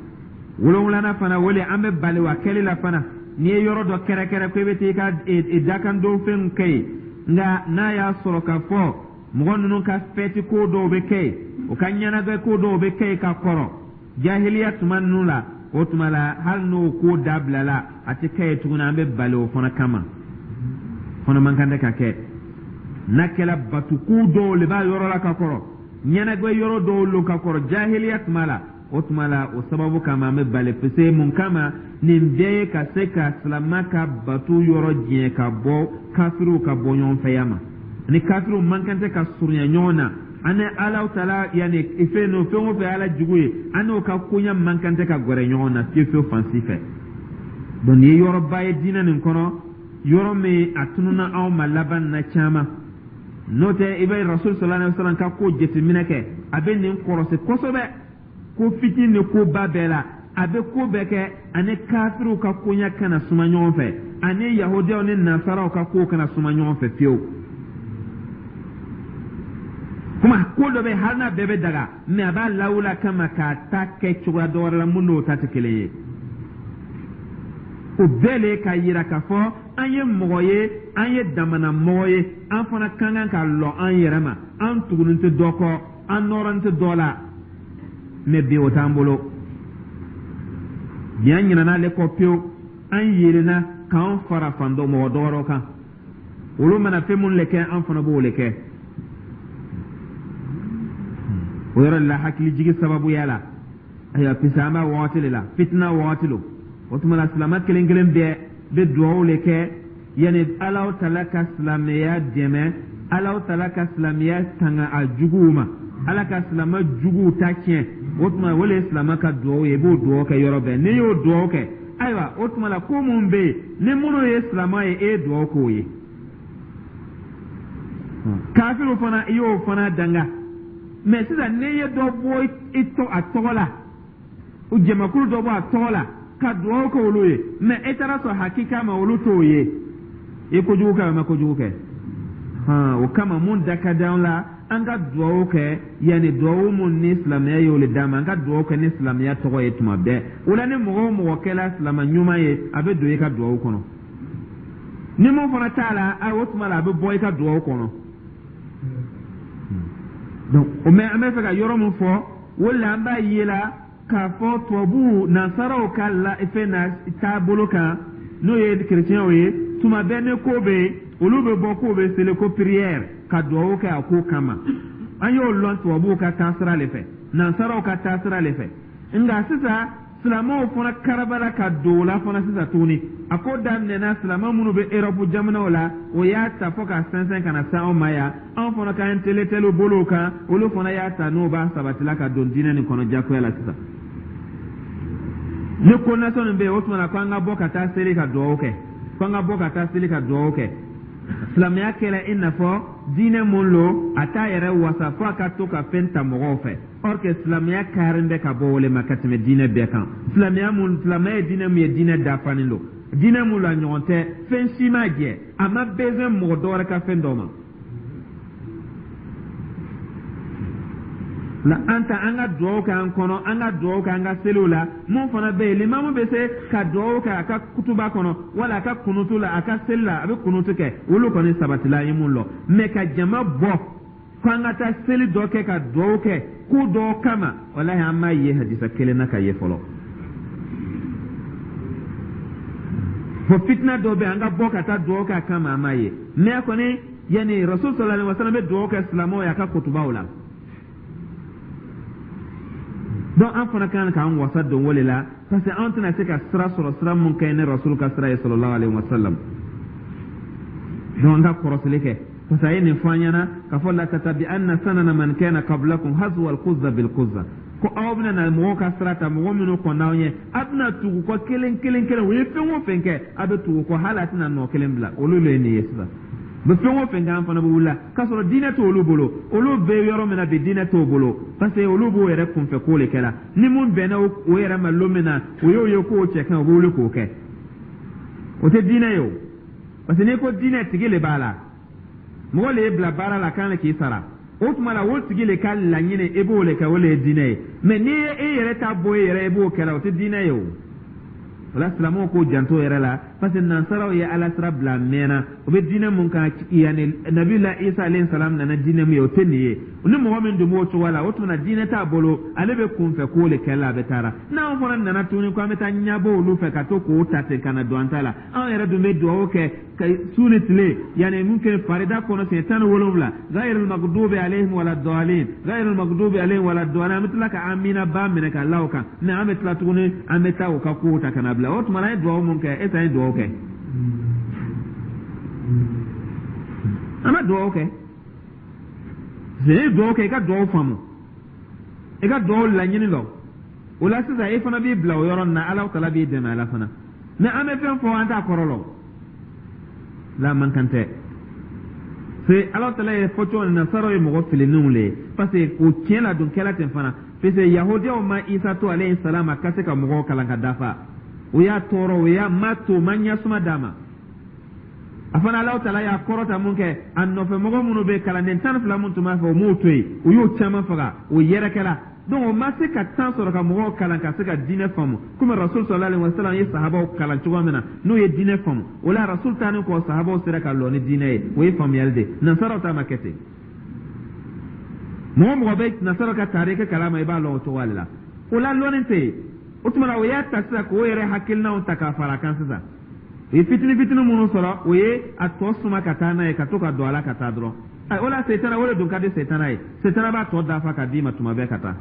Speaker 1: Wolonwulana fana wele, an bɛ bali wa kɛli la fana n'i ye yɔrɔ dɔ kɛrɛkɛrɛ ko i bɛ taa i ka dakan don fɛnw kɛ yen, nka n'a y'a sɔrɔ k'a fɔ mɔgɔ ninnu ka fɛti ko dɔw bɛ kɛ yen, u ka ɲɛnajɛ ko dɔw bɛ kɛ yen ka kɔrɔ jahiliya tuma ninnu la, o tuma la hali n'o ko dabilala, a tɛ kɛ yen tuguni, an bɛ bali o fana kama, fana man kan tɛ ka kɛ. N'a kɛra batuku dɔw le b'a yɔrɔ la ka kɔrɔ, ɲɛnajɛ yɔrɔ dɔw lo ka kɔrɔ jahiliya tuma la, o tuma la o sababu kama an bɛ bali, parce mun kama nin bɛɛ ye ka se ka silama ka batu yɔrɔ diɲɛ ka bɔ kafiriw ka bɔ ɲɔgɔn fɛya ma. Ni kafiriw man kan tɛ ka surunya ɲɔgɔn na, an ni Alaw tala yanni fɛn n'o fɛn o fɛn Ala jugu ye, an n'o ka koɲɛ man kan tɛ ka gɛrɛ ɲɔgɔn na fiyewu fiyewu fan si fɛ. Donc nin ye yɔrɔba ye diinɛ nin kɔnɔ, yɔrɔ min a tununa anw ma laban na caman. N'o tɛ, i bɛ Rasul sallallahu alaihi wasallam ka ko jateminɛ kɛ, a bɛ nin kɔrɔsi kosɛbɛ, ko fitinin ni ko ba bɛɛ la. A bɛ ko bɛɛ kɛ ani kafiriw ka koɲɛ kana suma ɲɔgɔn fɛ, ani yahudiyaw ni nasaraw ka kow kana suma ɲɔgɔn fɛ fiyewu. Kuma ko dɔ bɛ, hali n'a bɛɛ bɛ daga, mɛ a b'a lawula kama k'a ta kɛ cogoya dɔ wɛrɛ la mun n'o ta tɛ kelen ye. O bɛɛ le ka yira k'a fɔ an ye mɔgɔ ye, an ye damana mɔgɔ ye, an fana ka kan ka lɔ an yɛrɛ ma, an tugunin tɛ dɔ kɔ, an nɔrɔnin tɛ dɔ la. Mɛ bi, o t'an bolo bi. An ɲinɛna ale kɔ pewu, an yelenna k'an fara fan dɔ mɔgɔ dɔ wɛrɛw kan. Olu mana fɛn minnu le kɛ, an fana b'o le kɛ. O yɔrɔ de la, hakilijigi sababuya la, ayiwa, puisque an b'a wagati de la, fitina wagati lo. O tuma la, silamɛ kelen kelen bɛɛ bɛ dugawu le kɛ yanni Alahu Tala ka silamɛya dɛmɛ, Alahu Tala ka silamɛya tanga a juguw ma, Ala ka silamɛ juguw ta tiɲɛ. O tuma, o le ye silamɛ ka dugawu ye. I b'o dugawu kɛ yɔrɔ bɛɛ. N'i y'o dugawu kɛ, ayiwa, o tuma la, ko mun bɛ yen ni minnu ye silamɛ ye, e ye dugawu k'o ye. Kafiriw fana, i y'o fana danga. Mɛ sisan, n'i ye dɔ bɔ i tɔ a tɔgɔ la, o jamakulu dɔ bɔ a tɔgɔ la ka dugawu kɛ olu ye, mɛ e taara sɔrɔ hakika ma olu t'o ye, i kojugu kɛ, o ma kojugu kɛ. O kama, mun da ka di an la, an ka dugawu kɛ yanni dugawu mun ni silamɛya y'o le d'an ma, an ka dugawu kɛ ni silamɛya tɔgɔ ye tuma bɛɛ. O la, ni mɔgɔ o mɔgɔ kɛla silamɛ ɲuman ye, a bɛ don i ka dugawu kɔnɔ. Ni mun fana t'a la, a o tuma la, a bɛ bɔ i ka dugawu kɔnɔ. Donc o mɛ, an bɛ fɛ ka yɔrɔ min fɔ, o la, an b'a ye la k'a fɔ tubabuw, nansaraw ka la fɛn na taabolo kan, n'o ye kerecɛnw ye, tuma bɛɛ ni ko bɛ yen, olu bɛ bɔ k'o bɛ seli ko prière ka dugawu kɛ a ko kama. An y'o lɔn tubabuw ka taasira le fɛ, nansaraw ka taasira le fɛ. Nka sisan, silamɛw fana karabala ka don o la fana sisan tuguni. A ko daminɛna silamɛ minnu bɛ Erɔpu jamanaw la, o y'a ta fo ka sɛnsɛn ka na se anw ma yan. Anw fana ka intellectuel bolow kan, olu fana y'a ta n'o b'a sabatila ka don diinɛ nin kɔnɔ jagoya la. Sisan, ni ko nasɔn nin bɛ yen, o tuma na ko an ka bɔ ka taa seli ka dugawu kɛ, ko an ka bɔ ka taa seli ka dugawu kɛ. Silamɛya kɛra i n'a fɔ diinɛ mun lo, a t'a yɛrɛ wasa fo a ka to ka fɛn ta mɔgɔw fɛ. Or que silamɛya karen bɛ ka bɔ o le ma ka tɛmɛ diinɛ bɛɛ kan. Silamɛya mun, silamɛya ye diinɛ mun ye, diinɛ dafanen don, diinɛ mun la ɲɔgɔn tɛ, fɛn si ma jɛ, a ma besoin mɔgɔ dɔ wɛrɛ ka fɛn dɔ ma. La an ta, an ka dugawu kɛ an kɔnɔ, an ka dugawu kɛ an ka seliw la. Mun fana bɛ yen, limamu bɛ se ka dugawu kɛ a ka kutuba kɔnɔ wala a ka kunutu la, a ka seli la, a bɛ kunutu kɛ, olu kɔni sabatila, an ye mun lɔ. Mɛ ka jama bɔ ko an ka taa seli dɔ kɛ ka dugawu kɛ ko dɔ kama, walahi, an m'a ye hadisa kelen na ka ye fɔlɔ. Fo fitina dɔ bɛ yen, an ka bɔ ka taa dugawu kɛ a kama, an m'a ye. Mɛ a kɔni yanni Rasul sallallahu alaihi wasallam bɛ dugawu kɛ silamɛw ye a ka kutubaw la. Donc an fana kan k'an wasa don o de la, parce que an tɛna se ka sira sɔrɔ, sira mun ka ɲi ni Rasul ka sira ye sallallahu alaihi wasallam. Donc an ka kɔrɔsili kɛ, parce que a ye nin fɔ an ɲɛna k'a fɔ la tatabi'anna sanana man kana qablakum hazwa al-quzza bil quzza, ko aw bɛna na mɔgɔw ka sira ta, mɔgɔ minnu kɔnna aw ɲɛ, a bɛna tugu kɔ kelen kelen kelen. U ye fɛn o fɛn kɛ, a bɛ tugu kɔ, hali a tɛna nɔ kelen bila. Olu le ye nin ye sisan, u bɛ fɛn o fɛn kɛ, an fana bɛ wuli k'a sɔrɔ diinɛ t'olu bolo. Olu bɛ yɔrɔ min na bi, diinɛ t'o bolo, parce que olu b'o yɛrɛ kunfɛ ko de kɛla. Ni mun bɛnna o yɛrɛ ma lon min na, o y'o ye k'o cɛ kan, o bɛ wuli k'o kɛ. O tɛ diinɛ ye o, parce que n'i ko diinɛ, tigi le b'a la, mɔgɔ le y'i bila baara la, kan le k'i sara. O tuma la, o tigi le ka laɲini, i b'o le kɛ, o le ye diinɛ ye. Mɛ n'i ye e yɛrɛ ta bɔ e yɛrɛ, i b'o kɛ la, o tɛ diinɛ ye o. O la, silamɛw k'o janto yɛrɛ la, parce que nansaraw ye Ala sira bila a mɛnna. O bɛ diinɛ mun kan, yanni Nabila Isa alayhi salam nana, diinɛ mun ye, o tɛ nin ye. Ni mɔgɔ min dun b'o cogoya la, o tuma na diinɛ t'a bolo, ale bɛ kunfɛ ko le kɛ la, a bɛ taara. N'anw fana nana tuguni ko an bɛ taa ɲɛbɔ olu fɛ ka to k'o ta ten ka na don an ta la, anw yɛrɛ dun bɛ dugawu kɛ ka su ni tile, yanni mun kɛ farida kɔnɔ siɲɛ tan ni wolonwula, ghayril maghdubi alayhim wala dɔɔlin, ghayril maghdubi alayhim wala dɔɔlin, an bɛ tila ka amina ba minɛ ka la o kan. Mɛ an bɛ tila tuguni, an bɛ taa u ka kow ta ka na bila. O tuma na, an ye dugawu mun kɛ, e an ye dugawu kɛ, an bɛ dugawu kɛ. N'i ye dugawu kɛ, i ka dugawu faamu, i ka dugawu laɲini lɔ. O la sisan, e fana b'i bila o yɔrɔ nin na, Ala tala b'i dɛmɛ. Ala fana Mais an bɛ fɛn fɔ, an t'a kɔrɔ lɔn la, man kan tɛ. C'est Ala tala ye fɔ cogo min na, nasaraw ye mɔgɔ filinenw le ye, parce que o tiɲɛ la dun kɛla ten fana, parce que yahudiyaw ma Isa to alayhi salam a ka se ka mɔgɔw kalan ka dafa. O y'a tɔɔrɔ, o y'a ma to, ma ɲɛsuma d'a ma. A fana, Alahu tala y'a kɔrɔta mun kɛ, a nɔfɛ mɔgɔ minnu bɛ kalanden tan ni fila mun tun b'a fɛ, o m'o to yen, o y'o caman faga, o yɛrɛkɛla. Donc o ma se ka temps sɔrɔ ka mɔgɔw kalan ka se ka diinɛ faamu komi Rasul sallallahu alaihi wasallam ye sahabaw kalan cogo min na, n'o ye diinɛ faamu. O la, Rasul taalen kɔ, sahabaw sera ka lɔ ni diinɛ ye. O ye faamuyali de. Nasaraw ta ma kɛ ten. Mɔgɔ mɔgɔ bɛ nasaraw ka tariki kalama, i b'a lɔn o cogoya de la. O la, lɔnni tɛ yen. O tuma na, o y'a ta sisan k'o yɛrɛ hakilinaw ta k'a fara a kan sisan. U ye fitini fitini minnu sɔrɔ, o ye a tɔ suma ka taa n'a ye, ka to ka don a la ka taa dɔrɔn. O la, setana o de dun ka di setana ye. Setana b'a tɔ dafa ka d'i ma tuma bɛɛ ka taa.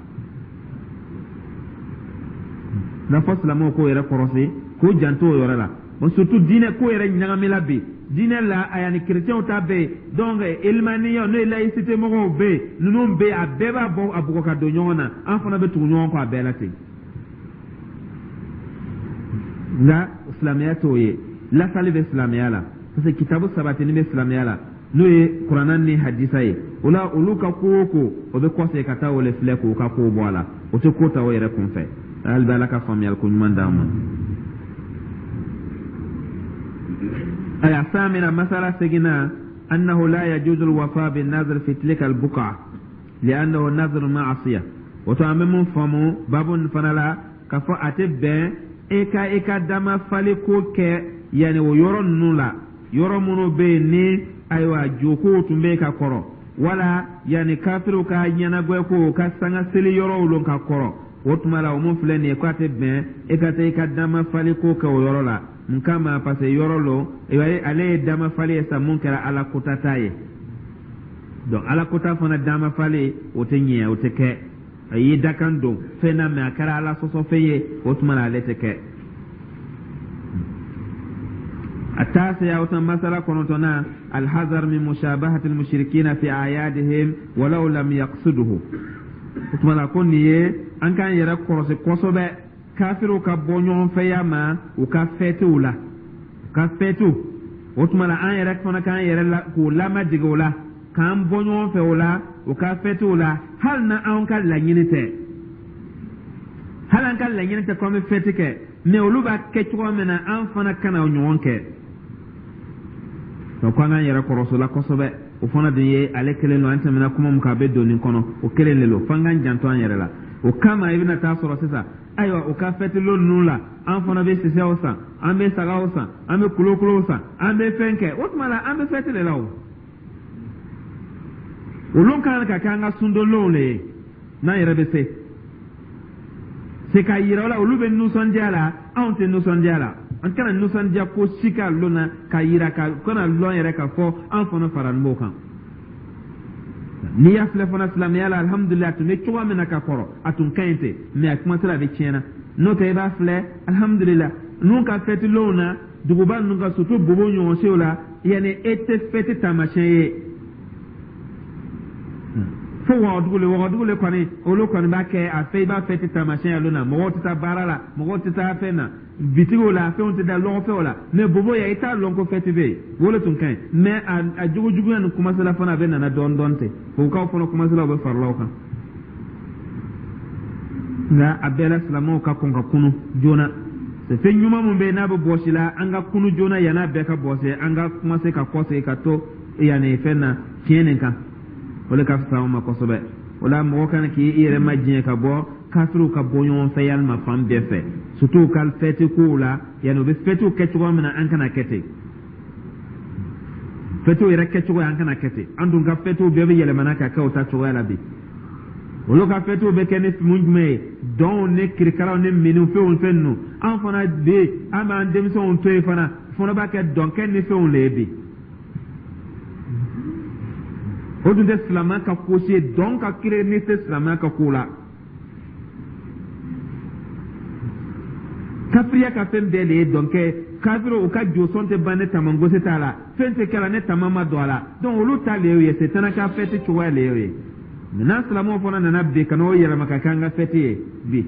Speaker 1: N'a fɔ silamɛw k'o yɛrɛ kɔrɔsi, k'o janto o yɔrɔ la. Bon, surtout diinɛ ko yɛrɛ ɲagamila bi diinɛ la, a yanni kerecɛnw ta bɛ yen, donc ilmaniyaw, n'o ye laïcité mɔgɔw bɛ yen, ninnu bɛ yen, a bɛɛ b'a bɔ a bugɔ ka don ɲɔgɔn na. An fana bɛ tugu ɲɔgɔn kɔ a bɛɛ la ten. Nka silamɛya t'o ye. Lasali bɛ silamɛya la, parce que kitabu sabatini bɛ silamɛya la, n'o ye Kuranna ni hadisa ye. O la, olu ka ko o ko, o bɛ kɔsegin ka taa o le filɛ k'o ka kow bɔ a la. O tɛ ko ta o yɛrɛ kun fɛ. Hali bɛ Ala ka faamuyali ko ɲuman d'an ma. Aya samina, masala seginna, annahu la yajuzu alwafa bin nazr fi tilka albuqa li'annahu nazr ma'asiya. O to, an bɛ mun faamu babu nin fana la? K'a fɔ a tɛ bɛn e ka i ka dama fali ko kɛ yanni o yɔrɔ ninnu la, yɔrɔ minnu bɛ yen ni ayiwa jokow tun bɛ yen ka kɔrɔ, wala yanni kafiriw ka ɲɛnagwɛ ko ka sanga seli yɔrɔw lon ka kɔrɔ. O tuma la, o mun filɛ nin ye, k'a tɛ bɛn e ka taa i ka dama fali ko kɛ o yɔrɔ la. Mun kama? Parce que yɔrɔ lo, ale ye dama fali ye sa mun kɛra Ala kota ta ye. Donc Ala kota fana dama fali, o tɛ ɲɛ, o tɛ kɛ. A y'i dakan don fɛn na, mɛ a kɛra Ala sɔsɔ fɛn ye. O tuma na, ale tɛ kɛ. التاسع، أو مسألة كنتنا، الحذر من مشابهة المشركين في أعيادهم ولو لم يقصده. Tuma ko nin ye an k'an yɛrɛ kɔlɔsi kosɛbɛ kafiriw ka bɔ ɲɔgɔn fɛya ma u ka fɛtiw la, u ka fɛtiw. O tuma la, an yɛrɛ fana k'an yɛrɛ la k'u lamadege o la, k'an bɔ ɲɔgɔn fɛ o la, u ka fɛtiw la, hali na anw ka laɲini tɛ, hali an ka laɲini tɛ ko an bɛ fɛti kɛ. Mɛ olu b'a kɛ cogo min na, an fana kana o ɲɔgɔn kɛ. Donc ko an k'an yɛrɛ kɔlɔsi o la kosɛbɛ. O fana dun ye ale kelen don. An tɛmɛna kuma mun kan, a bɛ don nin kɔnɔ, o kelen de don. F'an k'an janto an yɛrɛ la. O kama, i bɛna taa sɔrɔ sisan, ayiwa, u ka fɛtilon ninnu la, an fana bɛ sisɛw san, an bɛ sagaw san, an bɛ kolokolow san, an bɛ fɛn kɛ. O tuma la, an bɛ fɛti de la. O olu kan ka kɛ an ka sundonlonw de ye, n'an yɛrɛ bɛ se se k'a yira o la. Olu bɛ nisɔndiya la, anw tɛ nisɔndiya la. An kana nisɔndiya ko si ka lon na k'a yira ka kana lɔn yɛrɛ k'a fɔ an fana fara b'o kan. N'i y'a filɛ fana, silamɛya la, alihamudulilayi, a tun bɛ cogoya min na ka kɔrɔ, a tun ka ɲi ten, mɛ a kumasira a bɛ tiɲɛna. N'o tɛ, i b'a filɛ, alihamudulilayi, ninnu ka fɛtilonw na, duguba ninnu ka, surtout Bobo ɲɔgɔnsew la, yanni e tɛ fɛti taamasiyɛn ye fo Wagadugu le. Wagadugu le kɔni, olu kɔni b'a kɛ a fɛ, i b'a fɛti taamasiyɛn ye lon na, mɔgɔw tɛ taa baara la, mɔgɔw tɛ taa fɛn na, bitigiw la, fɛnw tɛ da lɔgɔfɛnw la. Mɛ Bobo yan, i t'a lɔn ko fɛti bɛ yen. O de tun ka ɲi, mɛ a jogo juguya ni kumasela fana, a bɛ nana dɔɔni dɔɔni ten. Bobokaw fana kumasela, u bɛ farala o kan. Nka a bɛɛ la, silamɛw ka kɔn ka kunu joona. Fɛn ɲuman mun bɛ yen n'a bɛ bɔsi la, an ka kunu joona yann'a bɛɛ ka bɔsi. An ka kumase ka kɔsegin ka to yanni fɛn na tiɲɛ nin kan, o de ka fisa anw ma kosɛbɛ. O la, mɔgɔ kana k'i yɛrɛ ma diɲɛ ka bɔ kafiriw ka bɔ ɲɔgɔn fɛ yalima fan bɛɛ fɛ, surtout u ka fɛti kow la. Yanni u bɛ fɛtiw kɛ cogoya min na, an kana kɛ ten. Fɛtiw yɛrɛ kɛcogo, an kana kɛ ten. An dun ka fɛtiw bɛɛ bɛ yɛlɛmana ka kɛ o ta cogoya la bi. Olu ka fɛtiw bɛ kɛ ni mun jumɛn ye? Dɔnw ni kirikaraw ni miniw, fɛnw fɛn ninnu. An fana bi, an b'an denmisɛnw to yen fana, fana b'a kɛ dɔnkɛ ni fɛnw le ye bi. O dun tɛ silamɛya ka ko si ye. Dɔn ka kiri ni tɛ silamɛya ka ko la. Kafiriya ka fɛn bɛɛ de ye dɔnkɛ. Kafiri, u ka josɔn tɛ ban ne tamangosi t'a la, fɛn tɛ kɛla ne tama ma don a la. Donc olu ta le y'o ye, setana ka fɛti cogoya le y'o ye. N'an silamɛw fana nana bi ka n'o yɛlɛma ka kɛ an ka fɛti ye bi.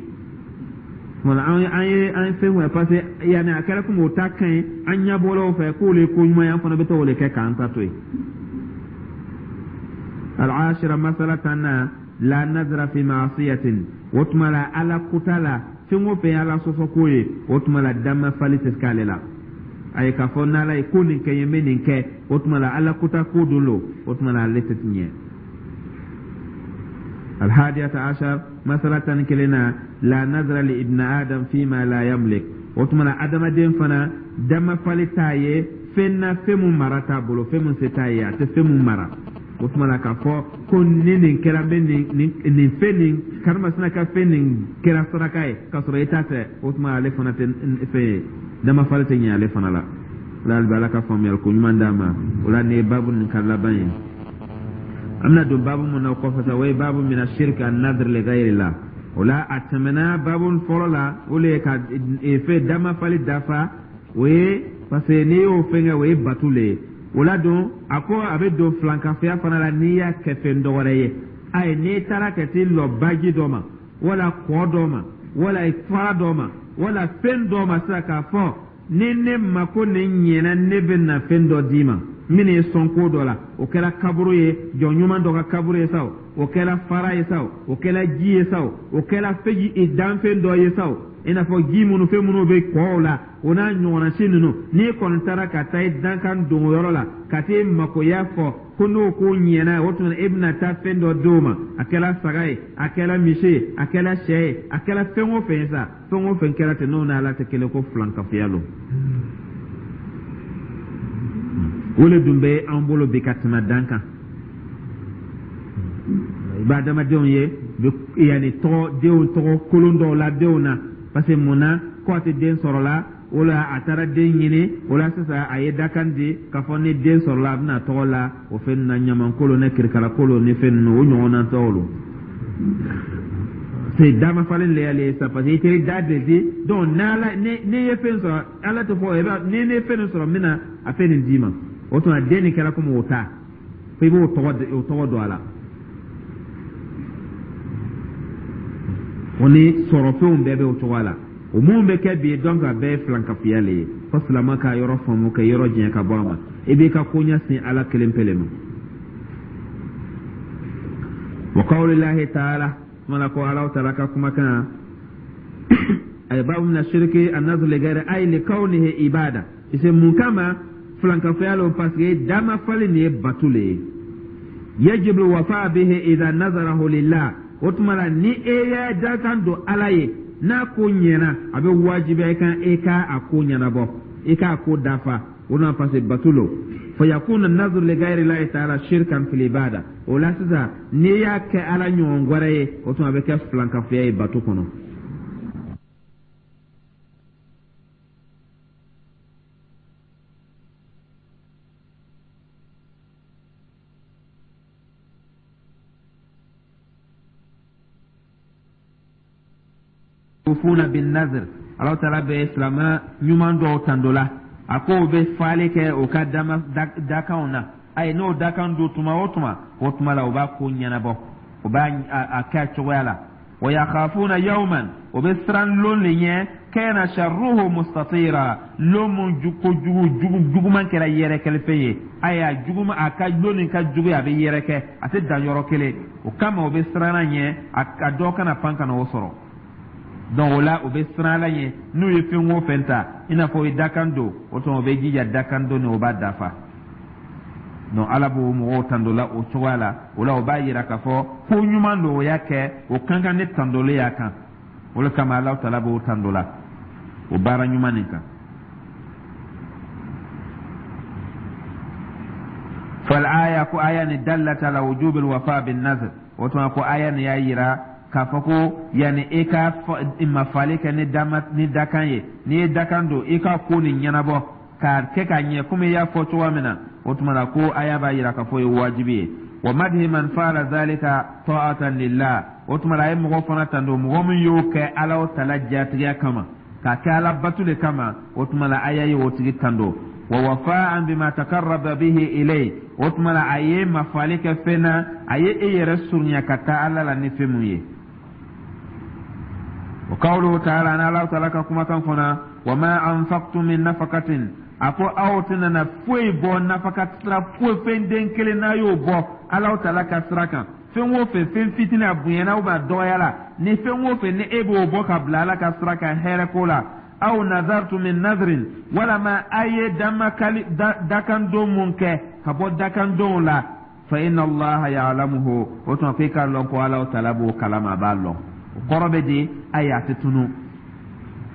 Speaker 1: Wala an an ye an ye fɛn wɛrɛ parce que yanni a kɛra komi o ta ka ɲi an ɲɛ bɔra o fɛ k'o le ye ko ɲuman ye an fana bɛ taa o le kɛ k'an ta to yen. Al-ashira masala tanna la nazara fi ma'asiyatin o tuma la ala kuta la fɛn o fɛn ye ala sɔsɔ ko ye o tuma la damafali tɛ k'ale la a ye k'a fɔ n'ala ye ko nin kɛ n ye n bɛ nin kɛ o tuma la ala kuta ko don lo o tuma la ale tɛ tiɲɛ. الحادية عشر مسألة كلنا لا نذر لابن آدم فيما لا يملك وتمنى آدم دين فنا دم فالتاye fɛn na fɛn mun mara t'a bolo fɛn mun se t'a ye a tɛ fɛn mun mara o tuma na k'a fɔ ko ni nin kɛra n bɛ nin nin nin fɛn nin karimasina ka fɛn nin kɛra saraka ye k'a sɔrɔ i ta tɛ o tuma ale fana tɛ fɛn ye damafali tɛ ɲɛ ale fana la o la hali bi ala ka faamuyali ko ɲuman d'a ma o la nin ye baabu nin ka laban ye an bɛna don baabu mun na o kɔfɛ sa o ye baabu mina shirki an nadr li ghayrillah o la a tɛmɛna baabu fɔlɔ la o le ye ka fɛn damafali dafa o ye parce que n'i y'o fɛn kɛ o ye batu le ye o la don a ko a bɛ don filankafoya fana la n'i y'a kɛ fɛn dɔ wɛrɛ ye ayi n'i taara ka t'i lɔ baji dɔ ma wala kɔ dɔ ma wala fara dɔ ma wala fɛn dɔ ma sisan k'a fɔ ni ne mako nin ɲɛna ne bɛ na fɛn dɔ d'i ma min ye sɔn ko dɔ la o kɛra kaburu ye jɔn ɲuman dɔ ka kaburu ye sa o o kɛra fara ye sa o o kɛra ji ye sa o o kɛra fɛn danfɛn dɔ ye sa o i n'a fɔ ji minnu fɛn minnu bɛ kɔw la o n'a ɲɔgɔnna si ninnu n'i kɔni taara ka taa i dankan don yɔrɔ la ka t'i makoya fɔ ko n'o ko ɲɛna o tuma e bɛna taa fɛn dɔ d'o ma a kɛra saga ye a kɛra misi ye a kɛra sɛ ye a kɛra fɛn o fɛn ye sa fɛn o fɛn kɛra ten n'o n'ala tɛ kelen ko filankafoya don o le dun bɛ an bolo bi ka tɛmɛ dan kan i b'a adamadenw ye yanni tɔgɔ denw tɔgɔ kolon dɔw la denw na parce que mun na ko a tɛ den sɔrɔ la o la a taara den ɲini o la sisan a ye dakan di k'a fɔ ni den sɔrɔla a bɛna tɔgɔ la o fɛn na ɲamankolon ni kirikarakolo ni fɛn ninnu o ɲɔgɔnna tɔgɔ lo c'est dama falen le y'ale ye sa parce que i teri da de di donc n'ala ni n'i ye fɛn sɔrɔ ala tɛ fɔ i b'a ni ne ye fɛn nin sɔrɔ n bɛna a fɛn nin d'i ma o tuma den nin kɛra komi o ta fo i b'o tɔgɔ o tɔgɔ don a la o ni sɔrɔfɛnw bɛɛ bɛ o cogoya la o mun bɛ kɛ bi donc a bɛɛ ye filankafoya le ye fo silamɛ ka yɔrɔ faamu ka yɔrɔ janya ka bɔ a ma i b'i ka koɲɛ sin ala kelen pe le ma wa qawlillahi ta'ala kuma ko ala ta'ala ka kumakan ay babu min ashirki an-nazr li ghayri ay li kawnihi ibada ise mun kama filankafoya lo parce que dama fali nin ye batu le ye yajibu wafa bihi idha nazarahu lillah o tuma la ni e y'a dakan don ala ye n'a ko ɲɛna a bɛ wajibiya i kan e ka a ko ɲɛnabɔ i k'a ko dafa o na parce que batu lo fa yakuna nazr li ghayri llahi ta'ala shirkan fil ibada o la sisan n'i y'a kɛ ala ɲɔgɔn wɛrɛ ye o tuma a bɛ kɛ filankafoya ye batu kɔnɔ. Yufuna bin nazr ala taala bɛ silamɛ ɲuman dɔw tando la a ko o bɛ faali kɛ o ka dama dakanw na ayi n'o dakan don tuma o tuma o tuma la o b'a ko ɲɛnabɔ o b'a a kɛ a cogoya la wa yakhafuna yawman o bɛ siran lon le ɲɛ kana sharruhu mustatira lon mun ko jugu jugu juguman kɛra yɛrɛkɛlifɛn ye ayi a juguman a ka lon nin ka jugu a bɛ yɛrɛkɛ a tɛ dan yɔrɔ kelen o kama o bɛ siran a ɲɛ a dɔ kana pan ka na o sɔrɔ donc o la o bɛ siran ala ɲɛ n'u ye fɛn o fɛn ta i n'a fɔ o ye dakan don o tuma o bɛ jija dakan don ni o b'a dafa donc ala b'o mɔgɔw tando la o cogoya la o la o b'a yira k'a fɔ ko ɲuman don o y'a kɛ o kan kan ne tandolen y'a kan o de kama Alahu taala b'o tando la o baara ɲuman nin kan. fal aya ko aya ni dallat ala wujubil wafa bin nazr o tuma ko aya ni y'a yira k'a fɔ ko yanni i ka mafali kɛ ni dama ni dakan ye n'i ye dakan don i ka ko nin ɲɛnabɔ k'a kɛ k'a ɲɛ komi i y'a fɔ cogoya min na o tuma na ko aya b'a yira k'a fɔ o ye wajibi ye wa madhi man fa'ala dhalika ta'atan lillah o tuma na a ye mɔgɔ fana tando mɔgɔ min y'o kɛ Ala tala jatigiya kama k'a kɛ Ala batu de kama o tuma na aya ye o tigi tando wa wafa'an bima taqarraba bihi ilayhi o tuma na a ye mafali kɛ fɛn na a ye e yɛrɛ surunya ka taa Ala la ni fɛn mun ye. Wa qawluhu ta'ala, an Ala ta'ala ka kumakan fana, wa ma anfaqtum min nafaqatin, a ko aw tɛna na foyi bɔ nafaka sira foyi, fɛn den kelen n'a y'o bɔ Ala ta'ala ka sira kan, fɛn o fɛn, fɛn fitinin, a bonyana ou bien a dɔgɔyala, ni fɛn o fɛn ni e b'o bɔ ka bila Ala ka sira kan hɛrɛ ko la, aw nazartu min nazrin, walama a ye damakali dakandon mun kɛ ka bɔ dakandonw la, fa inna Allaha ya'lamuhu, o tuma ko i k'a lɔn ko Ala ta'ala b'o kalama, a b'a lɔn. O kɔrɔ bɛ di? Ayi, a tɛ tunu.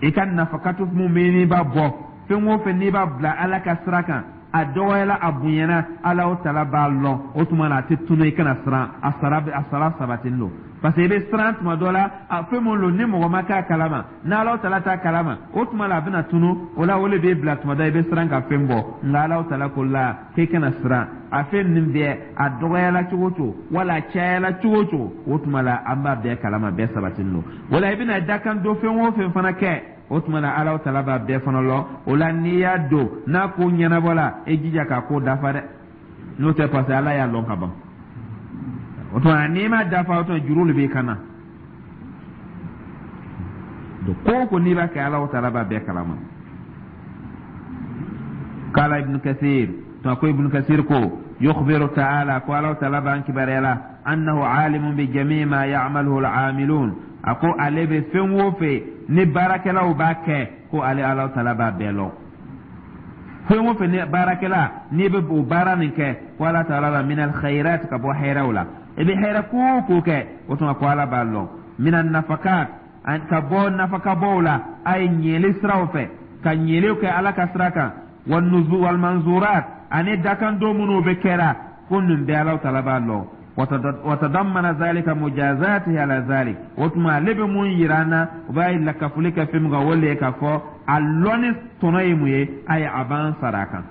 Speaker 1: I ka nafakatu mun bɛ n'i b'a bɔ, fɛn o fɛn n'i b'a bila Ala ka sira kan, a dɔgɔyala, a bonyana, Ala ta'ala b'a lɔn. O tuma na a tɛ tunu, i kana siran, a sara a sara sabatilen don, parce que i bɛ siran tuma dɔ la, a fɛn mun don ni mɔgɔ ma k'a kalama, n'Ala ta'ala t'a kalama, o tuma la a bɛna tunu. O la o de b'e bila tuma dɔ i bɛ siran ka fɛn bɔ. Nka Ala ta'ala ko la k'e kana siran, a fɛn nin bɛɛ, a dɔgɔyala cogo o cogo wala a cayala cogo o cogo, o tuma la an b'a bɛɛ kalama, bɛɛ sabatilen don. O la i bɛna dakan don fɛn o fɛn fana kɛ, o tuma na Ala ta'ala b'a bɛɛ fana lɔn. O la n'i y'a don n'a ko ɲɛnabɔla, e jija k'a ko dafa dɛ, n'o tɛ, parce que Ala y'a lɔn ka ban. O tuma n'i ma dafa, o tuma juru de b'i kan na. Donc ko o ko n'i b'a kɛ, Ala ta'ala b'a bɛɛ kalama. Kala Ibn Kathir, tuma ko Ibn Kathir ko yukhbiru ta'ala, ko Ala ta'ala b'an kibaruya la, annahu alimun bi jami' ma ya'maluhu al-amilun, a ko ale bɛ fɛn o fɛn ni baarakɛlaw b'a kɛ, ko ale Ala ta'ala b'a bɛɛ lɔn. Fɛn o fɛn ni baarakɛla n'i bɛ o baara nin kɛ, ko Ala ta'ala la min al-khairat, ka bɔ hɛrɛw la, i bɛ hɛrɛ ko o ko kɛ, o tuma ko Ala b'a lɔn. Min an-nafakat, ka bɔ nafakabɔw la, a ye ɲɛli siraw fɛ ka ɲɛliw kɛ Ala ka sira kan, wa nuzu wal manzurat, ani dakandon minnu bɛ kɛra, ko nin bɛɛ Ala ta'ala b'a lɔn. Watadammana zalika mujazatihi ala zalik, o tuma ale bɛ mun yira an na? O b'a lakafoli kɛ fɛn min kan, o le ye k'a fɔ a lɔnni tɔnɔ ye mun ye? Ayi, a b'an sara a kan.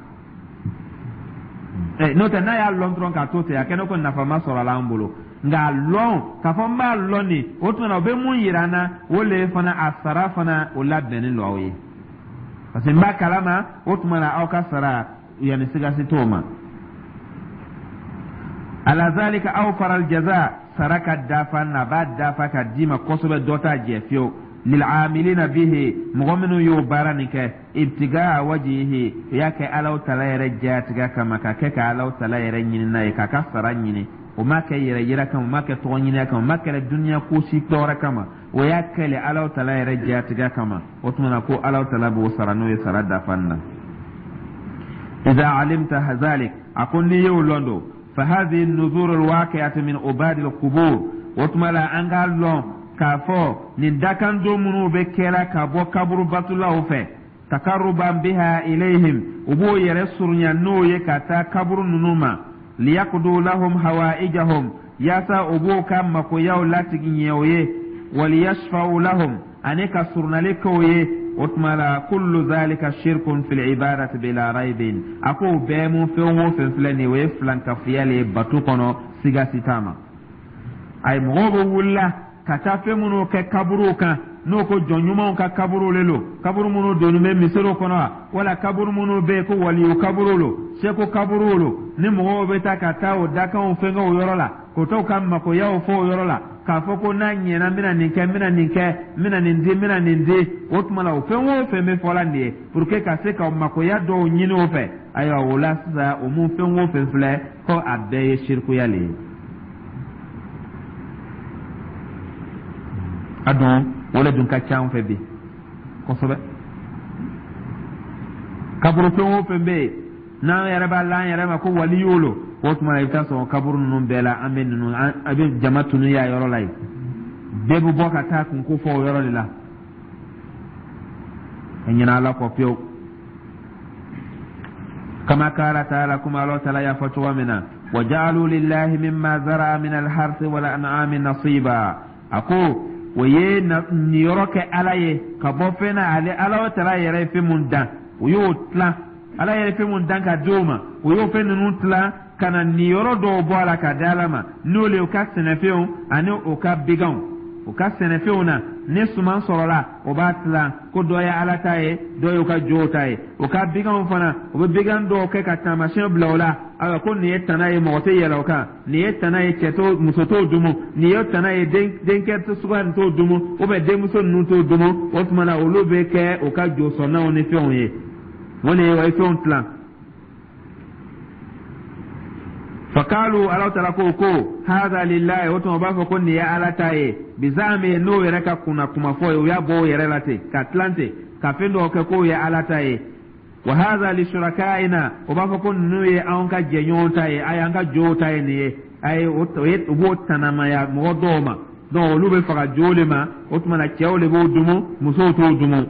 Speaker 1: N'o tɛ, n'a y'a lɔn dɔrɔn k'a to ten, a kɛ ne ko nafa ma sɔrɔ a la an bolo. Nka a lɔn k'a fɔ n b'a lɔn nin, o tuma na o bɛ mun yira an na? O le ye fana a sara fana o labɛnnen don aw ye, parce que n b'a kalama. O tuma na aw ka sara yanni sigasi t'o ma. Ala zalika awfara aljaza, sara ka dafa na b'a dafa ka d'i ma kosɛbɛ, dɔ t'a jɛ fiyewu. Lil'amilina bihi, mɔgɔ minnu y'o baara nin kɛ, ibtigaa wajihi, u y'a kɛ Alaw tala yɛrɛ jatigɛ kama, ka kɛ ka Alaw tala yɛrɛ ɲini n'a ye, k'a ka sara ɲini. O ma kɛ yɛrɛ yira kama, o ma kɛ tɔgɔ ɲini kama, o ma kɛra duniya ko si tɔɔrɔ kama, o y'a kɛlɛ Alaw tala yɛrɛ jatigɛ kama. O tuma na ko Alaw tala b'o sara, n'o ye sara dafa na. Iza alimta zalik, a ko n'i y'o lɔn don, fa hadhihi an-nuzur al-waqi'atu min ubad al-qubur, o tuma la an k'a lɔn k'a fɔ nin dakandon minnu bɛ kɛra ka bɔ kaburu batulaw fɛ, takaruban biha ilayhim, u b'o yɛrɛ surunya n'o ye ka taa kaburu ninnu ma, liyaqdu lahum hawaijahum, yaasa u b'o ka makoyaw latigi ɲɛ o ye, waliyashfa'u lahum, ani ka surunali kɛ o ye. O tuma la kullu zalika shirkun fil ibadati bila raibin, a ko bɛɛ mun fɛn o fɛn filɛ nin ye, o ye filankafoya le ye bato kɔnɔ, siga si t'a ma. Ayi, mɔgɔw bɛ wulila ka taa fɛn minnu kɛ kaburuw kan, n'o ko jɔn ɲumanw ka kaburuw le lo, kaburu minnu donnen bɛ misiriw kɔnɔ wa, wala kaburu minnu bɛ yen ko waliyu kaburuw lo, seko kaburuw lo, ni mɔgɔw bɛ taa ka taa o dakanw fɛnkɛ o yɔrɔ la, k'o t'u ka makoyaw fɔ o yɔrɔ la, k'a fɔ ko n'a ɲɛna, n bɛna nin kɛ, n bɛna nin kɛ, n bɛna nin di, n bɛna nin di. O tuma la o fɛn o fɛn bɛ fɔla nin ye pour que ka se ka makoya dɔw ɲini o fɛ. Ayiwa, o la sisan, o mun fɛn o fɛn filɛ, ko a bɛɛ ye sirikuya le ye. A dun o le dun ka ca an fɛ bi kosɛbɛ. Kaburu fɛn o fɛn bɛ yen n'an yɛrɛ b'a la an yɛrɛ ma ko waliyu lo, o tuma na i bɛ taa sɔrɔ kaburu ninnu bɛɛ la, an bɛ ninnu, an bɛ jama tunu y'a yɔrɔ la yen, bɛɛ bɛ bɔ ka taa kunko fɔ o yɔrɔ de la, ka ɲinɛ Ala kɔ pewu. Kama qala ta'ala, kuma Ala ta'ala y'a fɔ cogo min na, wa ja'alu lillahi mimma zara'a min al-harthi wal an'ami nasiba, a ko o ye niyɔrɔ kɛ Ala ye ka bɔ fɛn na, ale Ala ta'ala yɛrɛ ye fɛn mun dan, o y'o tilan. Ala yɛrɛ ye fɛn mun dan ka di o ma, o y'o fɛn ninnu tilan ka na niyɔrɔ dɔw bɔ a la ka di Ala ma, n'o le u ka sɛnɛfɛnw ani u ka biganw, u ka sɛnɛfɛnw na. Ni suman sɔrɔla, o b'a tilan ko dɔ ye Ala ta ye, dɔ y'u ka jow ta ye. O ka biganw fana, o bɛ bigan dɔw kɛ ka taamasiyɛn bila o la. Ayiwa, ko nin ye tana ye, mɔgɔ tɛ yɛlɛ o kan. Nin ye tana ye, cɛ t'o, muso t'o dumu. Nin ye tana ye, denkɛ suguya nin t'o dumu, ou bien denmuso ninnu t'o dumu. O tuma na, olu bɛ kɛ u ka josɔnnaw ni fɛnw ye. O de ye o ye fɛnw tilan. Fakalu, Ala taala ko ko haza lillahi. O tuma, u b'a fɔ ko nin ye Ala ta ye. Bizami, n'o yɛrɛ ka kunna kuma fɔ ye, u y'a bɔ o yɛrɛ la ten ka tilan ten ka fɛn dɔw kɛ k'o ye Ala ta ye. Wa haza li shurakaina, o b'a fɔ ko ninnu ye anw ka jɛɲɔgɔn ta ye, a y'an ka jow ta ye nin ye. A ye o ye, u b'o tanamaya mɔgɔ dɔw ma. Donc olu bɛ faga jow de ma. O tuma na, cɛw de b'o dumu, musow t'o dumu.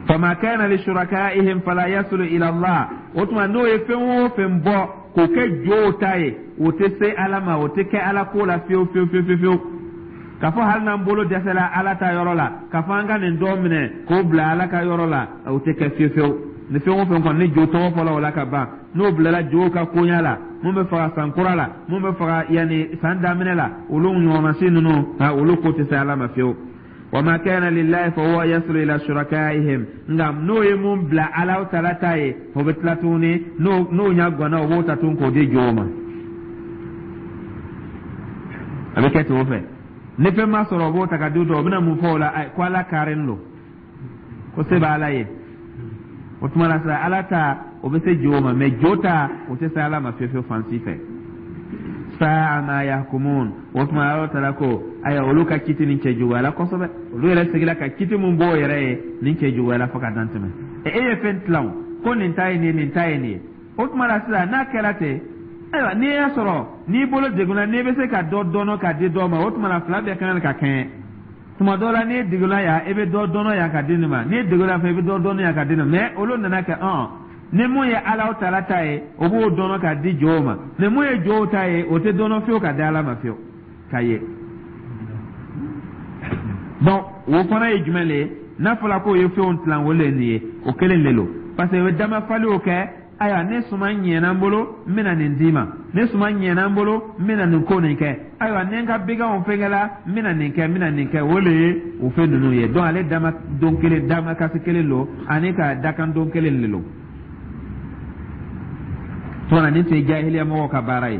Speaker 1: Fama kana li shurakaihim fala yasulu ila Allah. O tuma, n'o ye fɛn o fɛn bɔ k'o kɛ jow ta ye, o tɛ se Ala ma, o tɛ kɛ Ala ko la fiyewu fiyewu fiyewu fiyewu. K'a fɔ hali n'an bolo dɛsɛla Ala ta yɔrɔ la, k'a fɔ an ka nin dɔ minɛ k'o bila Ala ka yɔrɔ la, o tɛ kɛ fiyewu fiyewu. Ni fɛn o fɛn kɔni ni jo tɔgɔ fɔla o la ka ban, n'o bilala jow ka koɲa la, mun bɛ faga san kura la, mun bɛ faga yanni san daminɛ la, olu ɲɔgɔnna ninnu, olu ko tɛ se Ala ma fiyewu. Wama kana lillahi fa huwa yasulu ila shurakaihim. Nka n'o ye mun bila Ala taala ta ye, o bɛ tila tuguni, n'o n'o ɲa ganna, o b'o ta tuguni k'o di jow ma. A bɛ kɛ ten o fɛ. Ni fɛn ma sɔrɔ, o b'o ta ka di o bɛna mun fɔ o la? Ko Ala karen don, ko se b'Ala ye. O tuma na sisan, Ala ta, o bɛ se jow ma, mɛ jo ta, o tɛ se Ala ma fiyewu fiyewu fan si fɛ. Sa'a ma yahkumun. O tuma, Ala taala ko ayiwa, olu ka kiti nin cɛ juguyala kosɛbɛ. Olu yɛrɛ seginna ka kiti mun b'o yɛrɛ ye, nin cɛ juguyala fo ka dan tɛmɛ. E ye fɛn tilan ko nin ta ye nin ye, nin ta ye nin ye. O tuma la sisan, n'a kɛra ten, ayiwa, n'i y'a sɔrɔ n'i bolo degunna, n'i bɛ se ka dɔ dɔnɔ k'a di dɔ ma, o tuma la fila bɛɛ ka kan ka kɛɲɛ. Tuma dɔ la, n'i degunna yan, i bɛ dɔ dɔnɔ yan ka di nin ma. N'i degunna fɛ, i bɛ dɔ dɔnɔ yan ka di nin ma. Mɛ olu nana kɛ ɔn ni mun ye Ala taala ta ye, o b'o dɔnɔ k'a di jow ma. Ni mun ye jow ta ye, o tɛ dɔnɔ fiyewu ka di Ala ma fiyewu ka ye. Donc o fana ye jumɛn le ye? N'a fɔra k'o ye fɛnw tilan, o le ye nin ye, o kelen de don, parce que o bɛ damafaliw kɛ. Ayiwa, ni suman ɲɛna n bolo, n bɛna nin d'i ma. Ni suman ɲɛna n bolo, n bɛna nin ko nin kɛ. Ayiwa, ni n ka biganw fɛnkɛla, n bɛna nin kɛ, n bɛna nin kɛ. O le ye o fɛn ninnu ye. Donc ale dama don kelen, damakasi kelen don, ani ka dakan don kelen de don. Tuma nin tun ye jahiliya mɔgɔw ka baara ye.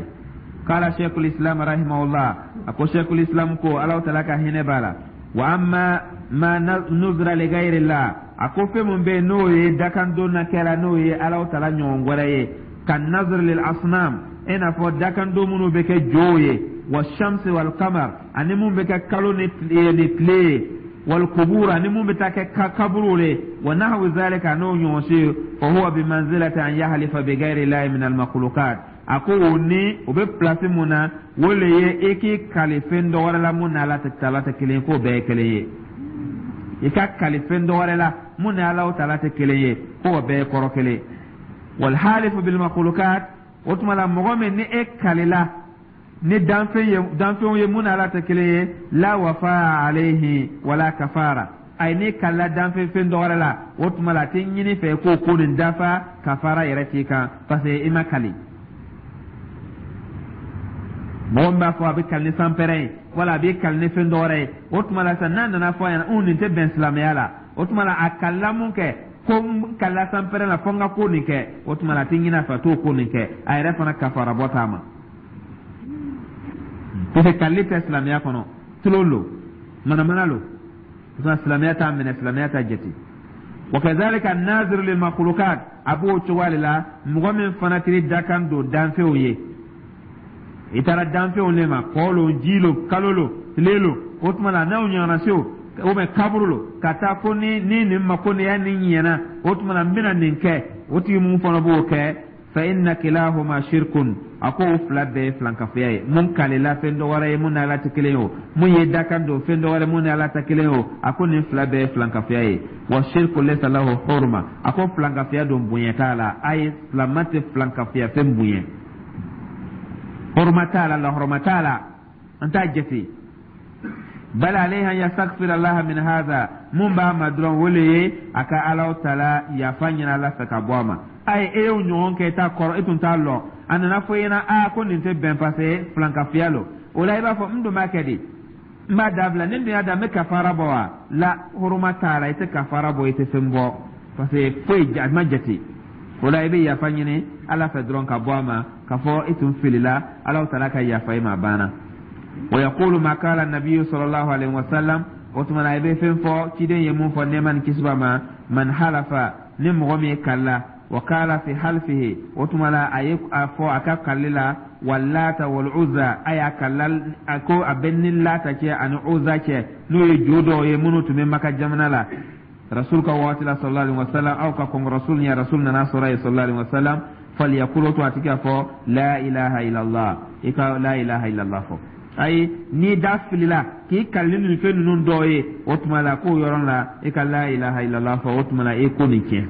Speaker 1: Kala sheikhul Islam rahimahullah, a ko sheikhul Islam ko, Ala taala ka hinɛ b'a la, wa amma ma nuzira li ghayrillah, a ko fɛn mun bɛ yen n'o ye dakan don na kɛra, n'o ye Ala taala ɲɔgɔn wɛrɛ ye, ka nazir lil asnam, i n'a fɔ dakan don minnu bɛ kɛ jow ye, wa shamsi wal qamar, ani mun bɛ kɛ kalo ni tile ye, wal kubur, ani mun bɛ taa kɛ kaburu le, wa nahwu zalika, n'o ɲɔgɔn si, fa huwa bi manzilati an yahlifa bi ghayri llahi min al makhluqat. A ko o ni o bɛ place mun na, o le ye i k'i kali fɛn dɔ wɛrɛ la mun ni Ala taala tɛ kelen ye, k'o bɛɛ ye kelen ye. I ka kali fɛn dɔ wɛrɛ la mun ni Ala taala tɛ kelen ye, k'o bɛɛ ye kɔrɔ kelen. Wal halifu bil makhluqat, o tuma la, mɔgɔ min ni e kalila ni danfɛn ye, danfɛnw ye mun ni Ala tɛ kelen ye, la wafa alayhi wala kafara. Ayi, n'i kalila danfɛn fɛn dɔ wɛrɛ la, o tuma la a tɛ ɲini fɛ k'o ko nin dafa, kafara yɛrɛ t'i kan, parce que i ma kali. Mɔgɔ min b'a fɔ a bɛ kali ni sanpɛrɛn ye, wala a bɛ kali ni fɛn dɔ wɛrɛ ye, o tuma la sisan, n'a nana fɔ a ɲɛna un nin tɛ bɛn silamɛya la, o tuma la a kalila mun kɛ ko n kalila sanpɛrɛn la fo n ka ko nin kɛ, o tuma la a tɛ ɲini a fɛ a t'o ko nin kɛ, a yɛrɛ fana kafara bɔ t'a ma, parce que kalili tɛ silamɛya kɔnɔ, tulon lo, manamana lo. O tuma, silamɛya t'a minɛ, silamɛya t'a jate. Wa kazalika nazir lil makhluqat, a b'o cogoya de la, mɔgɔ min fana tiri dakan don danfɛnw ye, i taara danfɛnw de ma, kɔ lo, ji lo, kalo lo, tile lo, o tuma la n'aw ɲɔgɔnna se o, ou bien kaburu lo, ka taa ko ni ni nin ma ko nin y'a nin ɲɛna, o tuma la n bɛna nin kɛ, o tigi mun fana b'o kɛ, fa inna kilahuma shirkun, a ko o fila bɛɛ ye filankafoya ye. Mun kalila fɛn dɔ wɛrɛ ye mun ni Ala tɛ kelen ye o, mun ye dakan don fɛn dɔ wɛrɛ mun ni Ala tɛ kelen ye o, a ko nin fila bɛɛ ye filankafoya ye. Wa shirku laysa lahu hurma, a ko filankafoya don bonya t'a la. A ye silama tɛ filankafoya fɛn bonya, hurma t'a la, lahɔrɔma t'a la, an t'a jate. Bal alayhi an yastaghfir Allah min hadha, mun b'a ma dɔrɔn, o le ye a ka Ala taala yafa ɲini Ala fɛ ka bɔ a ma. Ayi, e y'o ɲɔgɔn kɛ, i t'a kɔrɔ, e tun t'a lɔn, a nana fɔ i ɲɛna aa ko nin tɛ bɛn, parce que filankafoya lo. O la i b'a fɔ n dun b'a kɛ di. N b'a dabila. Ni dun y'a da, n bɛ kafara bɔ wa? La, huruma t'a la, i tɛ kafara bɔ, i tɛ fɛn bɔ, parce que foyi a ma jate o la. I bɛ yafa ɲini Ala fɛ dɔrɔn ka bɔ a ma, k'a fɔ i tun filila, Ala taala ka yafa i ma, a banna. Wa yaqulu ma qala nabiyyu sallallahu alaihi wasallam. O tuma na, i bɛ fɛn fɔ ciden ye mun fɔ, nɛɛma ni kisi b'a ma: man halafa, ni mɔgɔ min ye kalila, wa qala fi halfihi, o tuma la a ye a fɔ a ka kalili la, walata wal Uzza, a y'a kalila a ko a bɛ ni Lata cɛ ani Uza cɛ, n'o ye jo dɔw ye minnu tun bɛ Maka jamana la Rasul ka waati la, sallallahu alaihi wasallam, aw ka kɔn Rasul ɲɛ, Rasul nana sɔrɔ yen, sallallahu alaihi wasallam. Falyaqul, to a tigi k'a fɔ la ilaha illallah. I ka la ilaha illallah fɔ. Ayi, n'i da filila k'i kali nin fɛn ninnu dɔw ye, o tuma la k'o yɔrɔ la, i ka la ilaha illallah fɔ. O tuma la, i ko nin tiɲɛ,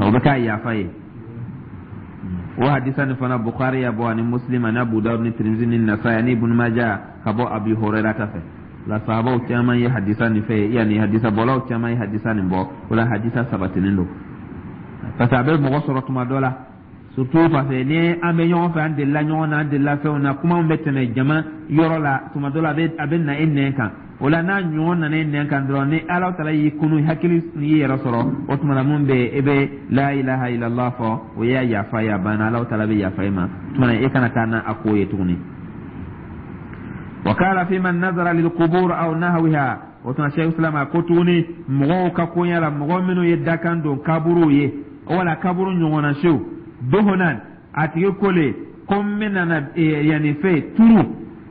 Speaker 1: o bɛ k'a yafa ye. O hadisa nin fana, Bukhari ya bɔ, ani Muslim, ani Abu Dawud, ni Tirimizi, ni Nasai, ani Ibn Majah, ka bɔ Abi Hurairah ta fɛ. La sahabaw caman ye hadisa nin fɛ, yanni hadisa bɔlaw caman ye hadisa nin bɔ. O la, hadisa sabatinen don, parce que a bɛ mɔgɔ sɔrɔ tuma dɔ la, surtout parce que ni an bɛ ɲɔgɔn fɛ, an delila ɲɔgɔn na, an delila fɛnw na, kumaw bɛ tɛmɛ jama yɔrɔ la, tuma dɔ la a bɛ a bɛ na e nɛn kan. O la, n'a ɲɔgɔn nana e nɛn kan dɔrɔn, ni Ala taala y'i kunu, hakili y'i yɛrɛ sɔrɔ, o tuma na mun bɛ yen, e bɛ la ilaha illallah fɔ, o y'a yafa ye, a banna, Ala taala bɛ yafa e ma. O tuma na, e kana taa n'a ko ye tuguni. Wa qala fi man nazara lil qubur aw nahwiha. O tuma, Sheikh Islam a ko tuguni, mɔgɔw ka koɲɛ la, mɔgɔ minnu ye dakan don kaburuw ye wala kaburu ɲɔgɔnna siw dohonan, a tigi ko le ko n bɛna na yanni fɛ turu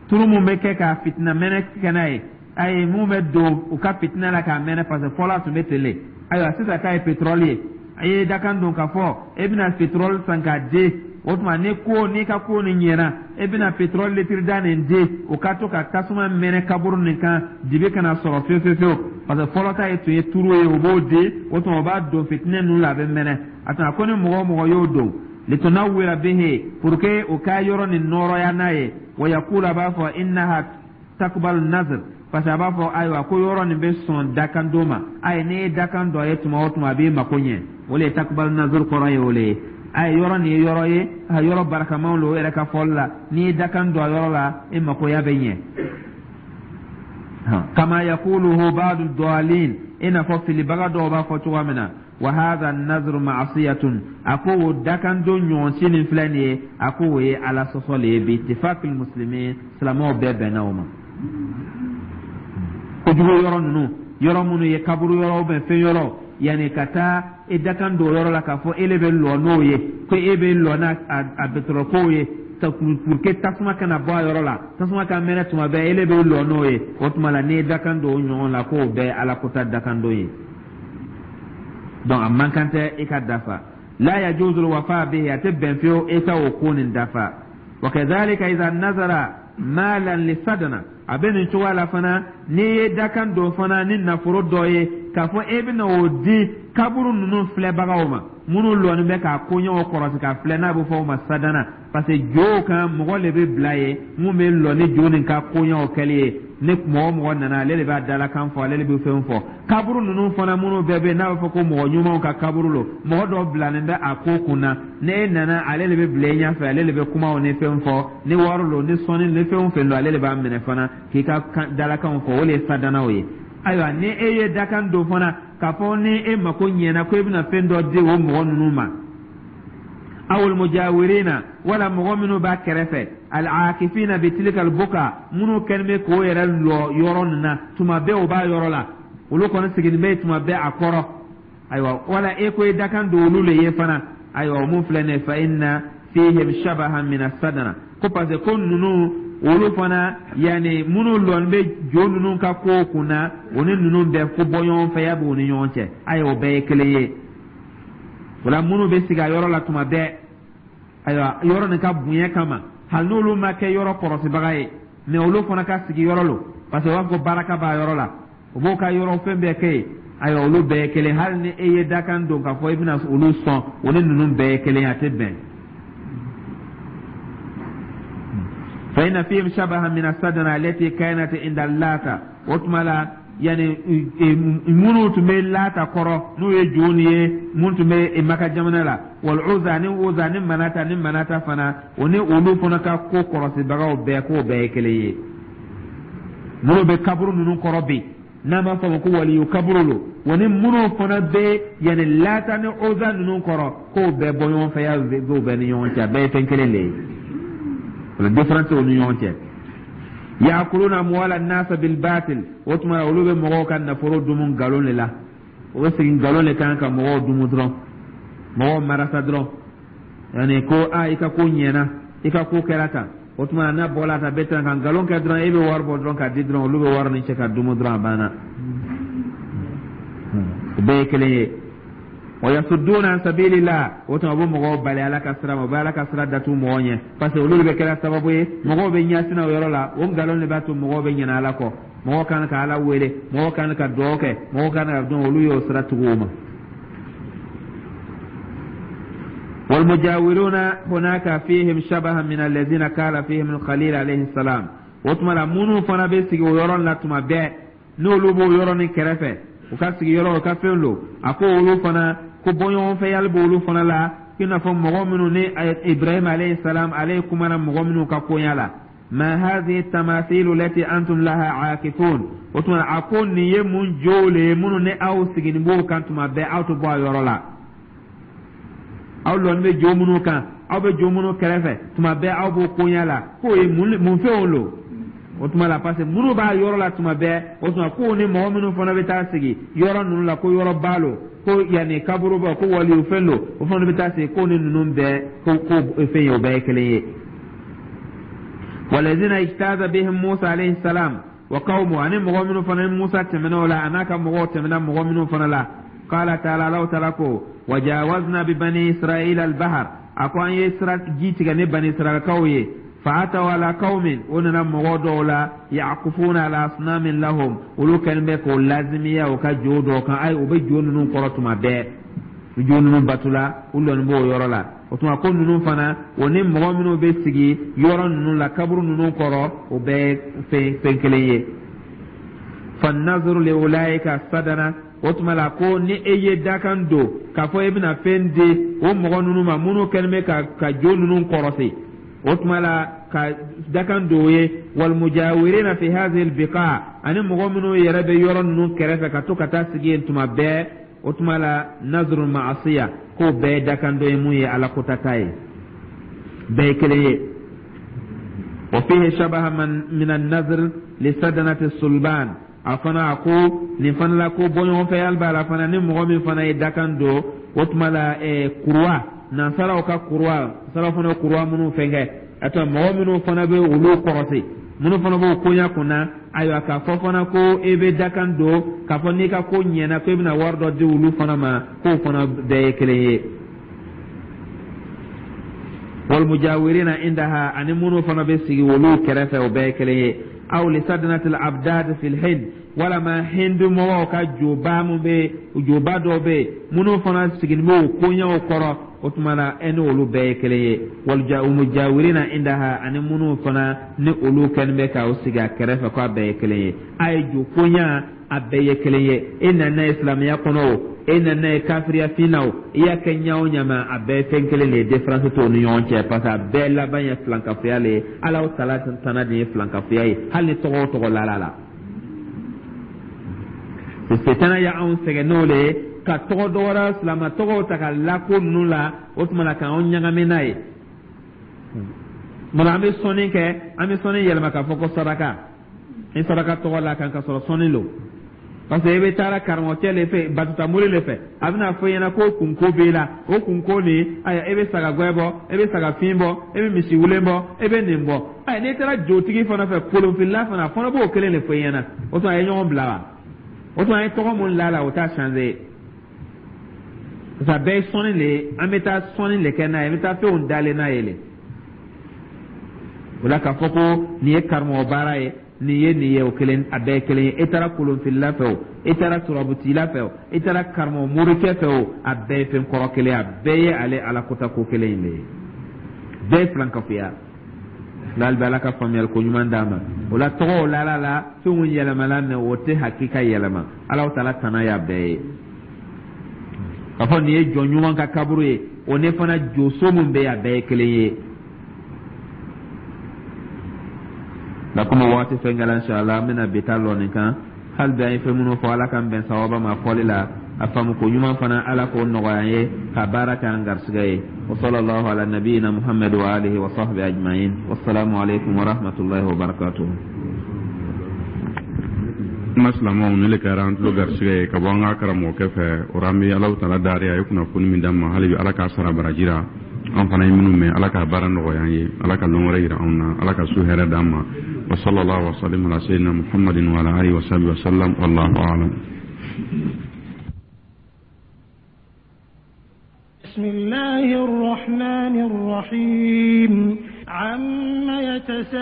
Speaker 1: turu mun bɛ kɛ ka fitina mɛnɛ kɛ n'a ye, ayi, mun bɛ don u ka fitina la k'a mɛnɛ, parce que fɔlɔ a tun bɛ ten le. Ayiwa, sisan k'a ye pétrole ye, a ye dakan don k'a fɔ e bɛna pétrole san k'a di. O tuma, ni ko n'i ka ko nin ɲɛna, e bɛna pétrole litre da nin di, o ka to ka tasuma mɛnɛ kaburu nin kan, dibi kana sɔrɔ fiyewu fiyewu fiyewu, parce que fɔlɔ ta ye tun ye turu ye, o b'o di. O tuma, o b'a don fitinɛ ninnu la, a bɛ mɛnɛ. A tuma ko ni mɔgɔ o mɔgɔ y'o don, litunawwira bihi, pour que o ka yɔrɔ nin nɔrɔya n'a ye, wa yaqulu, a b'a fɔ innaha takbalu nazr, parce que a b'a fɔ ayiwa ko yɔrɔ nin bɛ sɔn dakan don ma. Ayi, n'i ye dakan dɔ ye tuma o tuma, a b'i mako ɲɛ. O le ye takbalu nazr kɔrɔ ye. O le ye, ayi, yɔrɔ nin ye yɔrɔ ye, a yɔrɔ barakamaw lo, o yɛrɛ ka fɔli la, n'i ye dakan don a yɔrɔ la, e makoya bɛ ɲɛ. Kama yaquluhu ba'du dalin, i n'a fɔ filibaga dɔw b'a fɔ cogoya min na. Wa hadha an-nazru ma'siyatun, a ko o dakan don ɲɔgɔn si nin filɛ nin ye, a ko o ye Ala sɔsɔ le ye, bi ittifaqil muslimin, silamɛw bɛɛ bɛnna o ma. Kojugu yɔrɔ ninnu, yɔrɔ minnu ye kaburu yɔrɔ bɛn fɛn yɔrɔ, yanni ka taa e dakan don yɔrɔ la k'a fɔ e le bɛ lɔ n'o ye, ko e bɛ lɔ n'a a pétrole ye, pour que tasuma kana bɔ a yɔrɔ la, tasuma ka mɛnɛ tuma bɛɛ, e le bɛ lɔ n'o ye. O tuma la, n'i ye dakan don o ɲɔgɔn la, k'o bɛɛ Ala kota dakan don ye. Donc a man kan tɛ i ka dafa. La yajuzu alwafa bihi, a tɛ bɛn fiyewu e ka o ko nin dafa. Wa kadhalika idha nazara malan lisadana, a bɛ nin cogoya la fana, n'i ye dakan don fana ni nafolo dɔ ye k'a fɔ e bɛna o di kaburu ninnu filɛbagaw ma, minnu lɔni bɛ k'a koɲɛw kɔrɔsi k'a filɛ, n'a bɛ fɔ o ma sadana, parce que jow kan mɔgɔ de bɛ bila ye mun bɛ lɔ ni jo nin ka koɲɛw kɛli ye. Ni mɔgɔ o mɔgɔ nana, ale de b'a dalakan fɔ, ale de bɛ fɛn fɔ. Kaburu ninnu fana minnu bɛɛ bɛ yen, n'a bɛ fɔ ko mɔgɔ ɲumanw ka kaburu lo, mɔgɔ dɔw bilalen bɛ a ko kun na. Ni e nana, ale de bɛ bila i ɲɛfɛ, ale de bɛ kumaw ni fɛn fɔ, ni wari lo, ni sɔnni ni fɛn o fɛn don, ale de b'a minɛ fana k'i ka dalakanw fɔ. O de ye sadanaw ye. Ayiwa, ni e ye dakan don fana k'a fɔ ni e mako ɲɛna ko e bɛna fɛn dɔ di o mɔgɔ ninnu ma, awul mujawirina, wala mɔgɔ minnu b'a kɛrɛfɛ, al-akifina bi tilka al-buka, minnu kɛlen bɛ k'o yɛrɛ lɔ yɔrɔ nin na tuma bɛɛ, o b'a yɔrɔ la, olu kɔni sigilen bɛ tuma bɛɛ a kɔrɔ. Ayiwa, wala e ko i dakan don olu le ye fana. Ayiwa, o mun filɛ nin ye, fa inna fihim shabahan min as-sadana, ko parce que ko ninnu olu fana, yanni minnu lɔni bɛ jo ninnu ka kow kun na, o ni ninnu bɛɛ ko bɔ ɲɔgɔn fɛ ya b'u ni ɲɔgɔn cɛ. Ayiwa, o bɛɛ ye kelen ye. O la, minnu bɛ sigi a yɔrɔ la tuma bɛɛ, ayiwa, yɔrɔ nin ka bonya kama, hali n'olu ma kɛ yɔrɔ kɔrɔsibaga ye, mɛ olu fana ka sigi yɔrɔ lo, parce que u b'a fɔ ko baraka b'a yɔrɔ la, u b'o ka yɔrɔ fɛn bɛɛ kɛ yen. Ayiwa, olu bɛɛ ye kelen. Hali ni e ye dakan don k'a fɔ i bɛna olu sɔn, o ni ninnu bɛɛ ye kelen, a tɛ bɛn. Fa inna fihim shabahan min as-sadana allati kanat inda Lata. O tuma la, yani minnu tun bɛ Lata kɔrɔ, n'o ye joni ye, mun tun bɛ Maka jamana la, wal Uza, ni Uza, ni Manata, ni Manata fana, o ni olu fana ka ko kɔrɔsibagaw bɛɛ, k'o bɛɛ ye kelen ye. Minnu bɛ kaburu ninnu kɔrɔ bi, n'an b'a fɔ ma ko waliyu kaburu lo, wa ni minnu fana bɛ yanni Lata ni Oza ninnu kɔrɔ, k'o bɛɛ bɔ ɲɔgɔn fɛ, ya b'o bɛɛ ni ɲɔgɔn cɛ, a bɛɛ ye fɛn kelen de ye. O la, différence t'o ni ɲɔgɔn cɛ. Yakuluna amwala nasa bil batil. O tuma, olu bɛ mɔgɔw ka nafolo dumu nkalon de la. O bɛ segin nkalon de kan ka mɔgɔw dumu dɔrɔn, mɔgɔw marasa dɔrɔn, yanni ko a i ka ko ɲɛna, i ka ko kɛra tan. O tuma, n'a bɔla ta bɛ tan ka nkalon kɛ dɔrɔn, e bɛ wari bɔ dɔrɔn k'a di dɔrɔn, olu bɛ wari ni cɛ ka dumu dɔrɔn, a banna. O bɛɛ ye kelen ye. Wa yasudduna an sabilillah. O tuma, u bɛ mɔgɔw bali Ala ka sira ma, u bɛ Ala ka sira datugu mɔgɔw ɲɛ, parce que olu de bɛ kɛra sababu ye mɔgɔw bɛ ɲɛsin o yɔrɔ la. O nkalon de b'a to mɔgɔw bɛ ɲinɛ Ala kɔ. Mɔgɔw kan ka Ala wele, mɔgɔw kan ka dugawu kɛ, mɔgɔw kan ka dɔn, olu y'o sira tugu o ma. والمجاورون هناك فيهم شبه من الذين قال فيهم الخليل عليه السلام. O tuma la, minnu fana bɛ sigi o yɔrɔ la tuma bɛɛ, n'olu b'o yɔrɔ nin kɛrɛfɛ, u ka sigiyɔrɔ, u ka fɛn don, a ko olu fana ko bɔɲɔgɔnfɛyali b'olu fana la, i n'a fɔ mɔgɔ minnu ni Ibrahim alayhi salam, ale kumana mɔgɔ minnu ka koɲa la. Ma hadhihi tamathilu lati antum laha aakifun. O tuma, a ko nin ye mun jow le ye minnu ni aw siginin b'o kan tuma bɛɛ, aw tɛ bɔ a yɔrɔ la? Aw lɔni bɛ jo minnu kan, aw bɛ jo minnu kɛrɛfɛ tuma bɛɛ, aw b'o koɲa la, k'o ye mun fɛnw lo? O tuma la, parce que minnu b'a yɔrɔ la tuma bɛɛ, o tuma k'o ni mɔgɔ minnu fana bɛ taa sigi yɔrɔ ninnu la, ko yɔrɔ ba lo, ko yanni kaburu bɔ, ko waliyu fɛn lo, o fana bɛ taa sigi, k'o ni ninnu bɛɛ ko ko fɛn ye, o bɛɛ ye kelen ye. Walazina ijtaza bihim Musa alayhi salam wa qawmu, ani mɔgɔ minnu fana ni Musa tɛmɛna o la, a n'a ka mɔgɔw tɛmɛna mɔgɔ minnu fana la. Qala ta'ala, Allahu ta'ala ko: wajawazna bi bani Israila al-bahar. A ko an ye sira ji tigɛ ni bani Israilakaw ye. Fa'ataw ala qaumin, o nana mɔgɔ dɔw la, yaqufuna ala asnamin lahum, olu kɛlen bɛ k'o lazimiya u ka jo dɔw kan. Ayi, u bɛ jo ninnu kɔrɔ tuma bɛɛ, jo ninnu batula, u lɔnni b'o yɔrɔ la. O tuma, ko ninnu fana, o ni mɔgɔ minnu bɛ sigi yɔrɔ ninnu la, kaburu ninnu kɔrɔ, o bɛɛ fɛn fɛn kelen ye. Fannazuru li ulaika sadana. O tuma la, ko ni e ye dakan don k'a fɔ e bɛna fɛn di o mɔgɔ ninnu ma, minnu kɛlen bɛ ka ka jo ninnu kɔrɔsi, o tuma la, ka dakan don o ye. Walmujawirina fi hadhihi albiqa, ani mɔgɔ minnu yɛrɛ bɛ yɔrɔ ninnu kɛrɛfɛ ka to ka taa sigi yen tuma bɛɛ, o tuma la, nazru ma'asiya, k'o bɛɛ ye dakan dɔ ye mun ye Ala kotata ye, bɛɛ ye kelen ye. Wa fihi shabaha man min an-nazr li sadanati sulban. A fana, a ko nin fana la, ko bɔɲɔgɔnfɛyali b'a la fana, ni mɔgɔ min fana ye dakan don, o tuma la, ɛɛ kuruwa, nansaraw ka kuruwa, nansaraw fana kuruwa minnu fɛnkɛ, a tɔ mɔgɔ minnu fana bɛ olu kɔrɔsi, minnu fana b'o koɲa kunna, ayiwa, k'a fɔ fana ko e bɛ dakan don k'a fɔ n'i ka ko ɲɛna, ko e bɛna wari dɔ di olu fana ma, k'o fana bɛɛ ye kelen ye. Walmujawirina indaha, ani minnu fana bɛ sigi olu kɛrɛfɛ, o bɛɛ ye kelen ye. Aw li sadanatil abdad fil hind, walama hindu mɔgɔw ka joba mun bɛ, joba dɔw bɛ yen minnu fana sigilen bɛ o koɲɛw kɔrɔ, o tuma na, e ni olu bɛɛ ye kelen ye. Waljamujawirina indaha, ani minnu fana ni olu kɛlen bɛ k'aw sigi a kɛrɛfɛ, k'a bɛɛ ye kelen ye. A ye jo koɲa, a bɛɛ ye kelen ye. E nana ye silamɛya kɔnɔ o, e nana ye kafiriya fin na o, i y'a kɛ ɲa o ɲa ma, a bɛɛ ye fɛn kelen de ye, différence t'o ni ɲɔgɔn cɛ, parce que a bɛɛ laban ye filankafoya le ye. Ala tala tana de ye filankafoya ye, hali ni tɔgɔ o tɔgɔ lala la. Setana y'anw sɛgɛn n'o le ye, ka tɔgɔ dɔ wɛrɛ, silamɛ tɔgɔw ta ka lako ninnu la, o tuma na, k'anw ɲagami n'a ye. Munna an bɛ sɔnni kɛ, an bɛ sɔnni yɛlɛma k'a fɔ ko saraka, ni saraka tɔgɔ la kan ka sɔrɔ sɔnni lo? Parce que e bɛ taara karamɔgɔcɛ le fɛ, batutamori le fɛ, a bɛna fɔ i ɲɛna ko kunko b'e la. O kunko nin, ayiwa, e bɛ saga gɛn bɔ, e bɛ saga fin bɔ, e bɛ misi wulen bɔ, e bɛ nin bɔ. Ayi, n'i taara jotigi fana fɛ, kolonfilila fana, a fana b'o kelen de fɔ i ɲɛna. O tuma, a ye ɲɔgɔn bila wa? O tuma, an ye tɔgɔ mun la la, o t'a changer, parce que a bɛɛ ye sɔnni le ye. An bɛ taa sɔnni le kɛ n'a ye, an bɛ taa fɛnw dalen n'a ye le. O la, k'a fɔ ko nin ye karamɔgɔ baara ye, nin ye nin ye, o kelen, a bɛɛ ye kelen ye. E taara kolonfilila fɛ o, e taara turabutila fɛ o, e taara karamɔgɔ morikɛ fɛ o, a bɛɛ ye fɛn kɔrɔ kelen ye, a bɛɛ ye ale Ala kota ko kelen in de ye, bɛɛ ye filankafoya. N'ale bɛ Ala ka faamuyali ko ɲuman d'a ma. O la, tɔgɔw lala la, fɛnw yɛlɛmala mɛ, o tɛ hakika yɛlɛma. Ala taala tana y'a bɛɛ ye. K'a fɔ nin ye jɔn ɲuman ka kaburu ye, o ne fana joso mun bɛ yen, a bɛɛ ye kelen ye. La komi waati fɛn kɛla, inshallah, an bɛna bi ta lɔ nin kan. Hali bi an ye fɛn minnu fɔ, Ala k'an bɛn sawaba ma fɔli la. A faamu ko ɲuman fana, Ala k'o nɔgɔya an ye ka baara kɛ an garisɛgɛ ye. Wa sallallahu ala nabiyina Muhammad wa alihi wa sahbihi ajma'in. Wassalamu alaikum wa rahmatullahi wa barakatuh.
Speaker 2: Kuma silamɛw, ne le kɛra an tulo garisɛgɛ ye ka bɔ an ka karamɔgɔkɛ fɛ. O an bɛ Alahu Taala dari, a ye kunnafoni min d'an ma, hali bi Ala k'a sara baraji la. An fana ye minnu mɛn, Ala k'a baara nɔgɔya an ye, Ala ka lɔn wɛrɛ yira anw na, Ala ka su hɛrɛ d'an ma. Wa sallallahu wa sallam ala sayyidina Muhammadin wa ala alihi wa sahbihi wa sallam. Wallahu a'lam.
Speaker 3: بسم الله الرحمن الرحيم. عم يتساءلون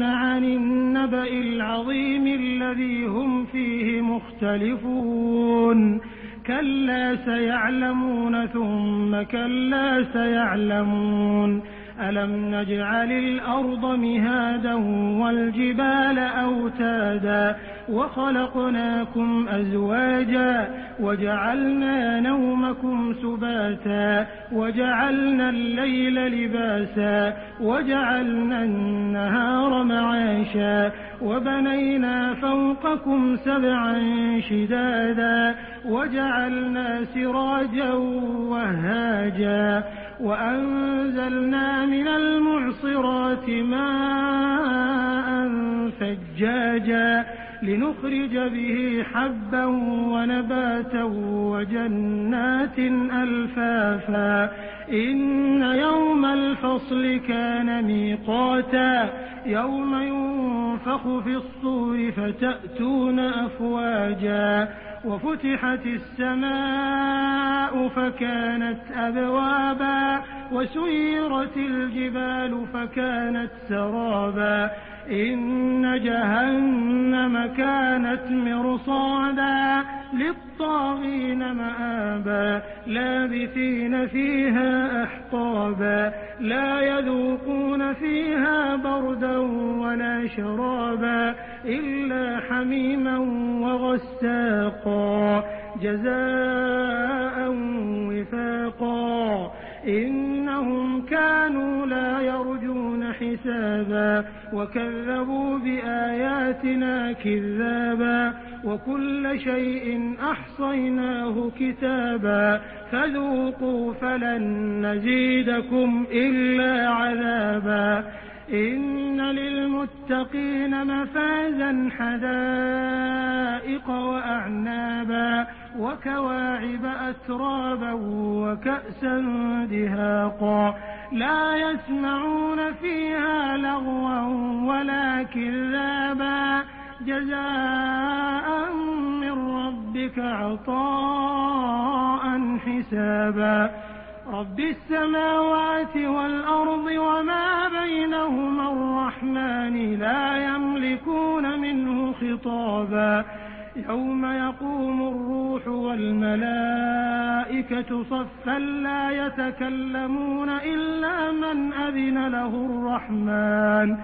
Speaker 3: عن النبأ العظيم الذي هم فيه مختلفون. كلا سيعلمون، ثم كلا سيعلمون. ألم نجعل الأرض مهادا والجبال أوتادا وخلقناكم أزواجا وجعلنا نومكم سباتا وجعلنا الليل لباسا وجعلنا النهار معاشا وبنينا فوقكم سبعا شدادا وجعلنا سراجا وهاجا وأنزلنا من المعصرات ماء ثجاجا لنخرج به حبا ونباتا وجنات ألفافا. إن يوم الفصل كان ميقاتا، يوم ينفخ في الصور فتأتون أفواجا. وفتحت السماء فكانت أبوابا وسيرت الجبال فكانت سرابا. إن جهنم كانت مرصادا للطاغين مآبا، لابثين فيها أحقابا، لا يذوقون فيها بردا ولا شرابا إلا حميما وغساقا جزاء وفاقا. إنهم كانوا لا يرجون حسابا وكذبوا بآياتنا كذابا. وكل شيء أحصيناه كتابا. فذوقوا فلن نزيدكم إلا عذابا. إن للمتقين مفازا، حدائق وأعنابا وكواعب أترابا وكأسا دهاقا. لا يسمعون فيها لغوا ولا كذابا، جزاء من ربك عطاء حسابا. رب السماوات والأرض وما بينهما الرحمن لا يملكون منه خطابا. يوم يقوم الروح والملائكة صفا لا يتكلمون إلا من أذن له الرحمن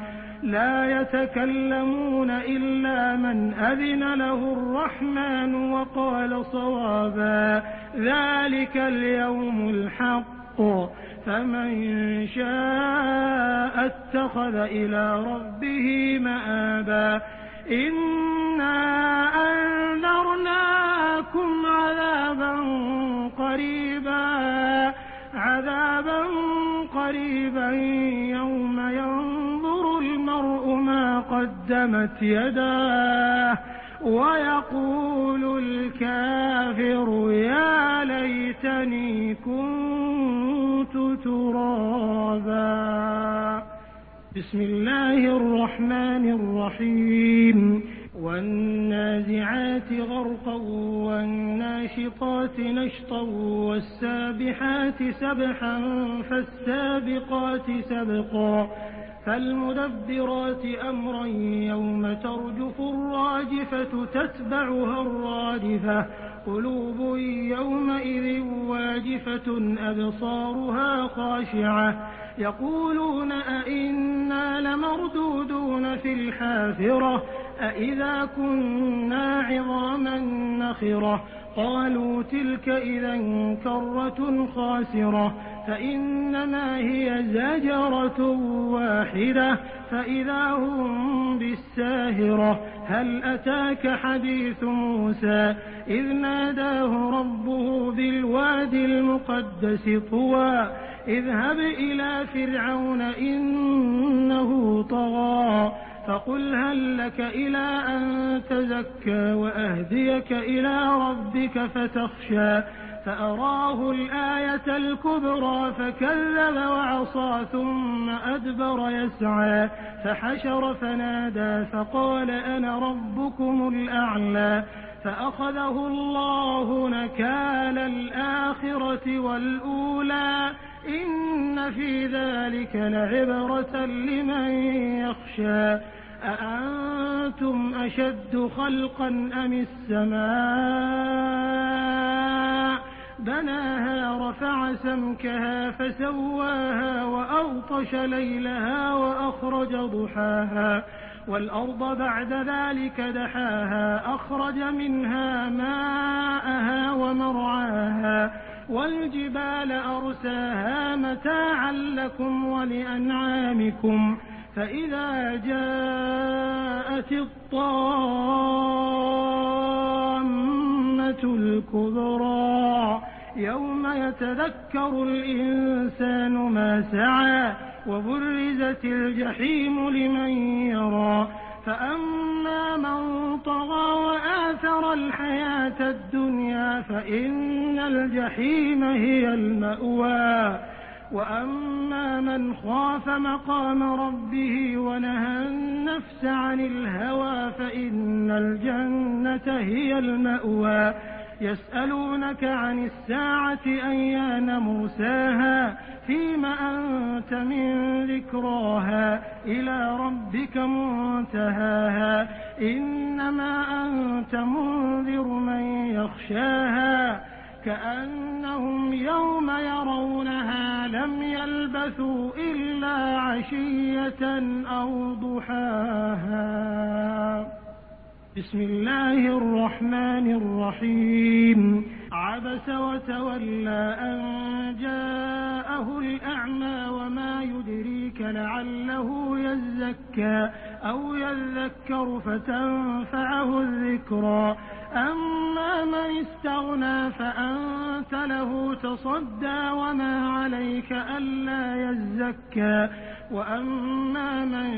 Speaker 3: لا يتكلمون إلا من أذن له الرحمن وقال صوابا. ذلك اليوم الحق، فمن شاء اتخذ إلى ربه مآبا. إنا أنذرناكم عذابا قريبا عذابا قريبا يوم ينظر المرء ما قدمت يداه ويقول الكافر يا ليتني كنت ترابا. بسم الله الرحمن الرحيم. والنازعات غرقا والناشطات نشطا والسابحات سبحا فالسابقات سبقا فالمدبرات أمرا. يوم ترجف الراجفة تتبعها الرادفة. قلوب يومئذ واجفة أبصارها خاشعة. يقولون أئنا لمردودون في الحافرة أئذا كنا عظاما نخرة. قالوا تلك إذا كرة خاسرة. فإنما هي زجرة واحدة فإذا هم بالساهرة. هل أتاك حديث موسى إذ ناداه ربه بالوادي المقدس طوى اذهب إلى فرعون إنه طغى فقل هل لك إلى أن تزكى وأهديك إلى ربك فتخشى فأراه الآية الكبرى فكذب وعصى ثم أدبر يسعى فحشر فنادى فقال أنا ربكم الأعلى فأخذه الله نكال الآخرة والأولى إن في ذلك لعبرة لمن يخشى. أأنتم أشد خلقا أم السماء بناها رفع سمكها فسواها وأغطش ليلها وأخرج ضحاها والأرض بعد ذلك دحاها أخرج منها ماءها ومرعاها والجبال أرساها متاعا لكم ولأنعامكم. فإذا جاءت الطامة الكبرى يوم يتذكر الإنسان ما سعى وبرزت الجحيم لمن يرى. فأما من طغى وآثر الحياة الدنيا فإن الجحيم هي المأوى. وأما من خاف مقام ربه ونهى النفس عن الهوى فإن الجنة هي المأوى. يسألونك عن الساعة أيان مرساها فيم أنت من ذكراها إلى ربك منتهاها. إنما أنت منذر من يخشاها كأنهم يوم يرونها لم يلبثوا إلا عشية أو ضحاها. بسم الله الرحمن الرحيم. عبس وتولى أن جاءه الأعمى وما يدريك لعله يزكى أو يذكر فتنفعه الذكرى. أما من استغنى فأنت له تصدى وما عليك ألا يزكى. وأما من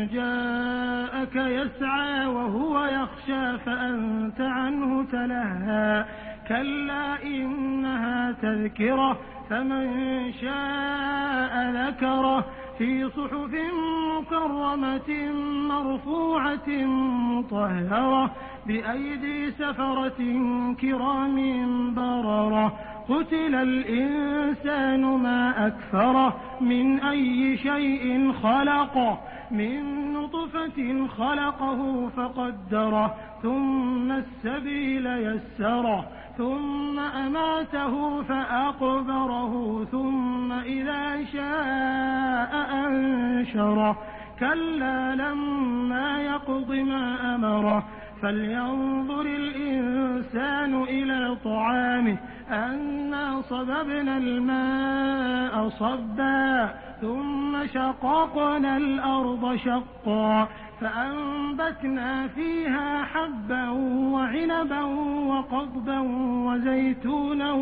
Speaker 3: جاءك يسعى وهو يخشى فأنت عنه تلهى. كلا إنها تذكرة فمن شاء ذكره في صحف مكرمة مرفوعة مطهرة بأيدي سفرة كرام بررة. قتل الإنسان ما أكفره من أي شيء خلقه من نطفة خلقه فقدره ثم السبيل يسره ثم أماته فأقبره ثم إذا شاء أنشره. كلا لما يقض ما أمره. فلينظر الإنسان إلى طعامه أنا صببنا الماء صبا ثم شققنا الأرض شقا فأنبتنا فيها حبا وعنبا وقضبا وزيتونا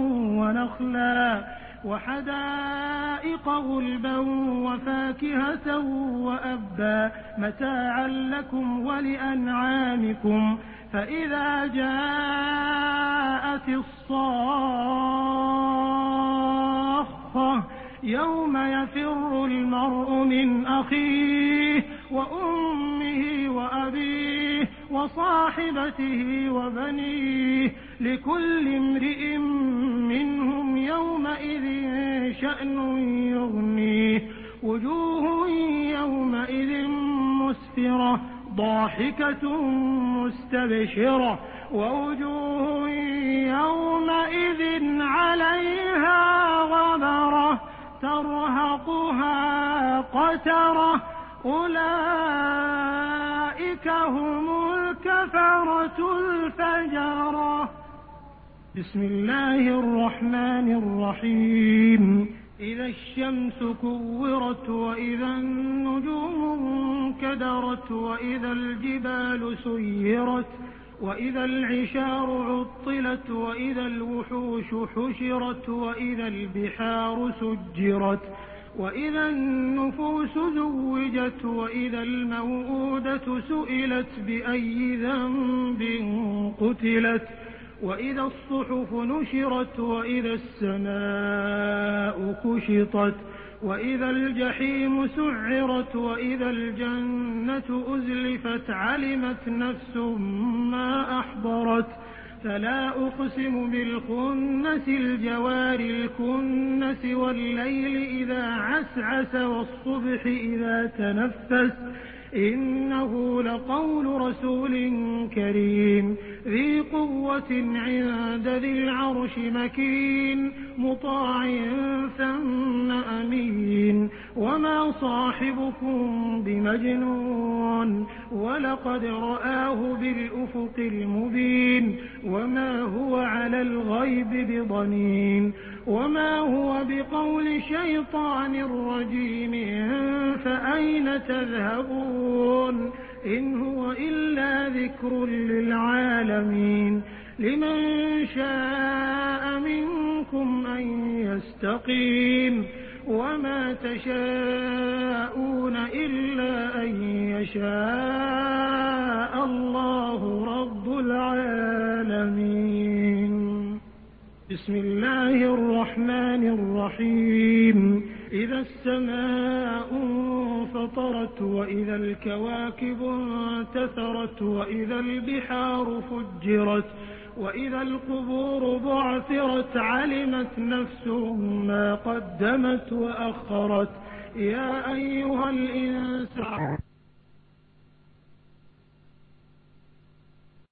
Speaker 3: ونخلا وحدائق غلبا وفاكهة وأبا متاعا لكم ولأنعامكم. فإذا جاءت الصاخة يوم يفر المرء من أخيه وأمه وأبيه وصاحبته وبنيه لكل امرئ منهم يومئذ شأن يغنيه. وجوه يومئذ مسفرة ضاحكة مستبشرة ووجوه يومئذ عليها غبرة ترهقها قترة. أولئك هم الكفرة الفجرة. بسم الله الرحمن الرحيم. إذا الشمس كورت وإذا النجوم انكدرت وإذا الجبال سيرت وإذا العشار عطلت وإذا الوحوش حشرت وإذا البحار سجرت وإذا النفوس زوجت وإذا الموءودة سئلت بأي ذنب قتلت وإذا الصحف نشرت وإذا السماء كشطت وإذا الجحيم سعرت وإذا الجنة أزلفت علمت نفس ما أحضرت فلا أقسم بالخنس الجوار الكنس والليل إذا عسعس والصبح إذا تنفس إنه لقول رسول كريم ذي قوة عند ذي العرش مكين مطاع ثم أمين وما صاحبكم بمجنون ولقد رآه بالأفق المبين وما هو على الغيب بضنين وما هو بقول شيطان رجيم فأين تذهبون إن هو إلا ذكر للعالمين لمن شاء منكم أن يستقيم وما تشاءون إلا أن يشاء الله رب العالمين بسم الله الرحمن الرحيم إذا السماء انفطرت وإذا الكواكب انتثرت وإذا البحار فجرت وإذا القبور بعثرت علمت نفس ما قدمت وأخرت يا أيها الإنسان.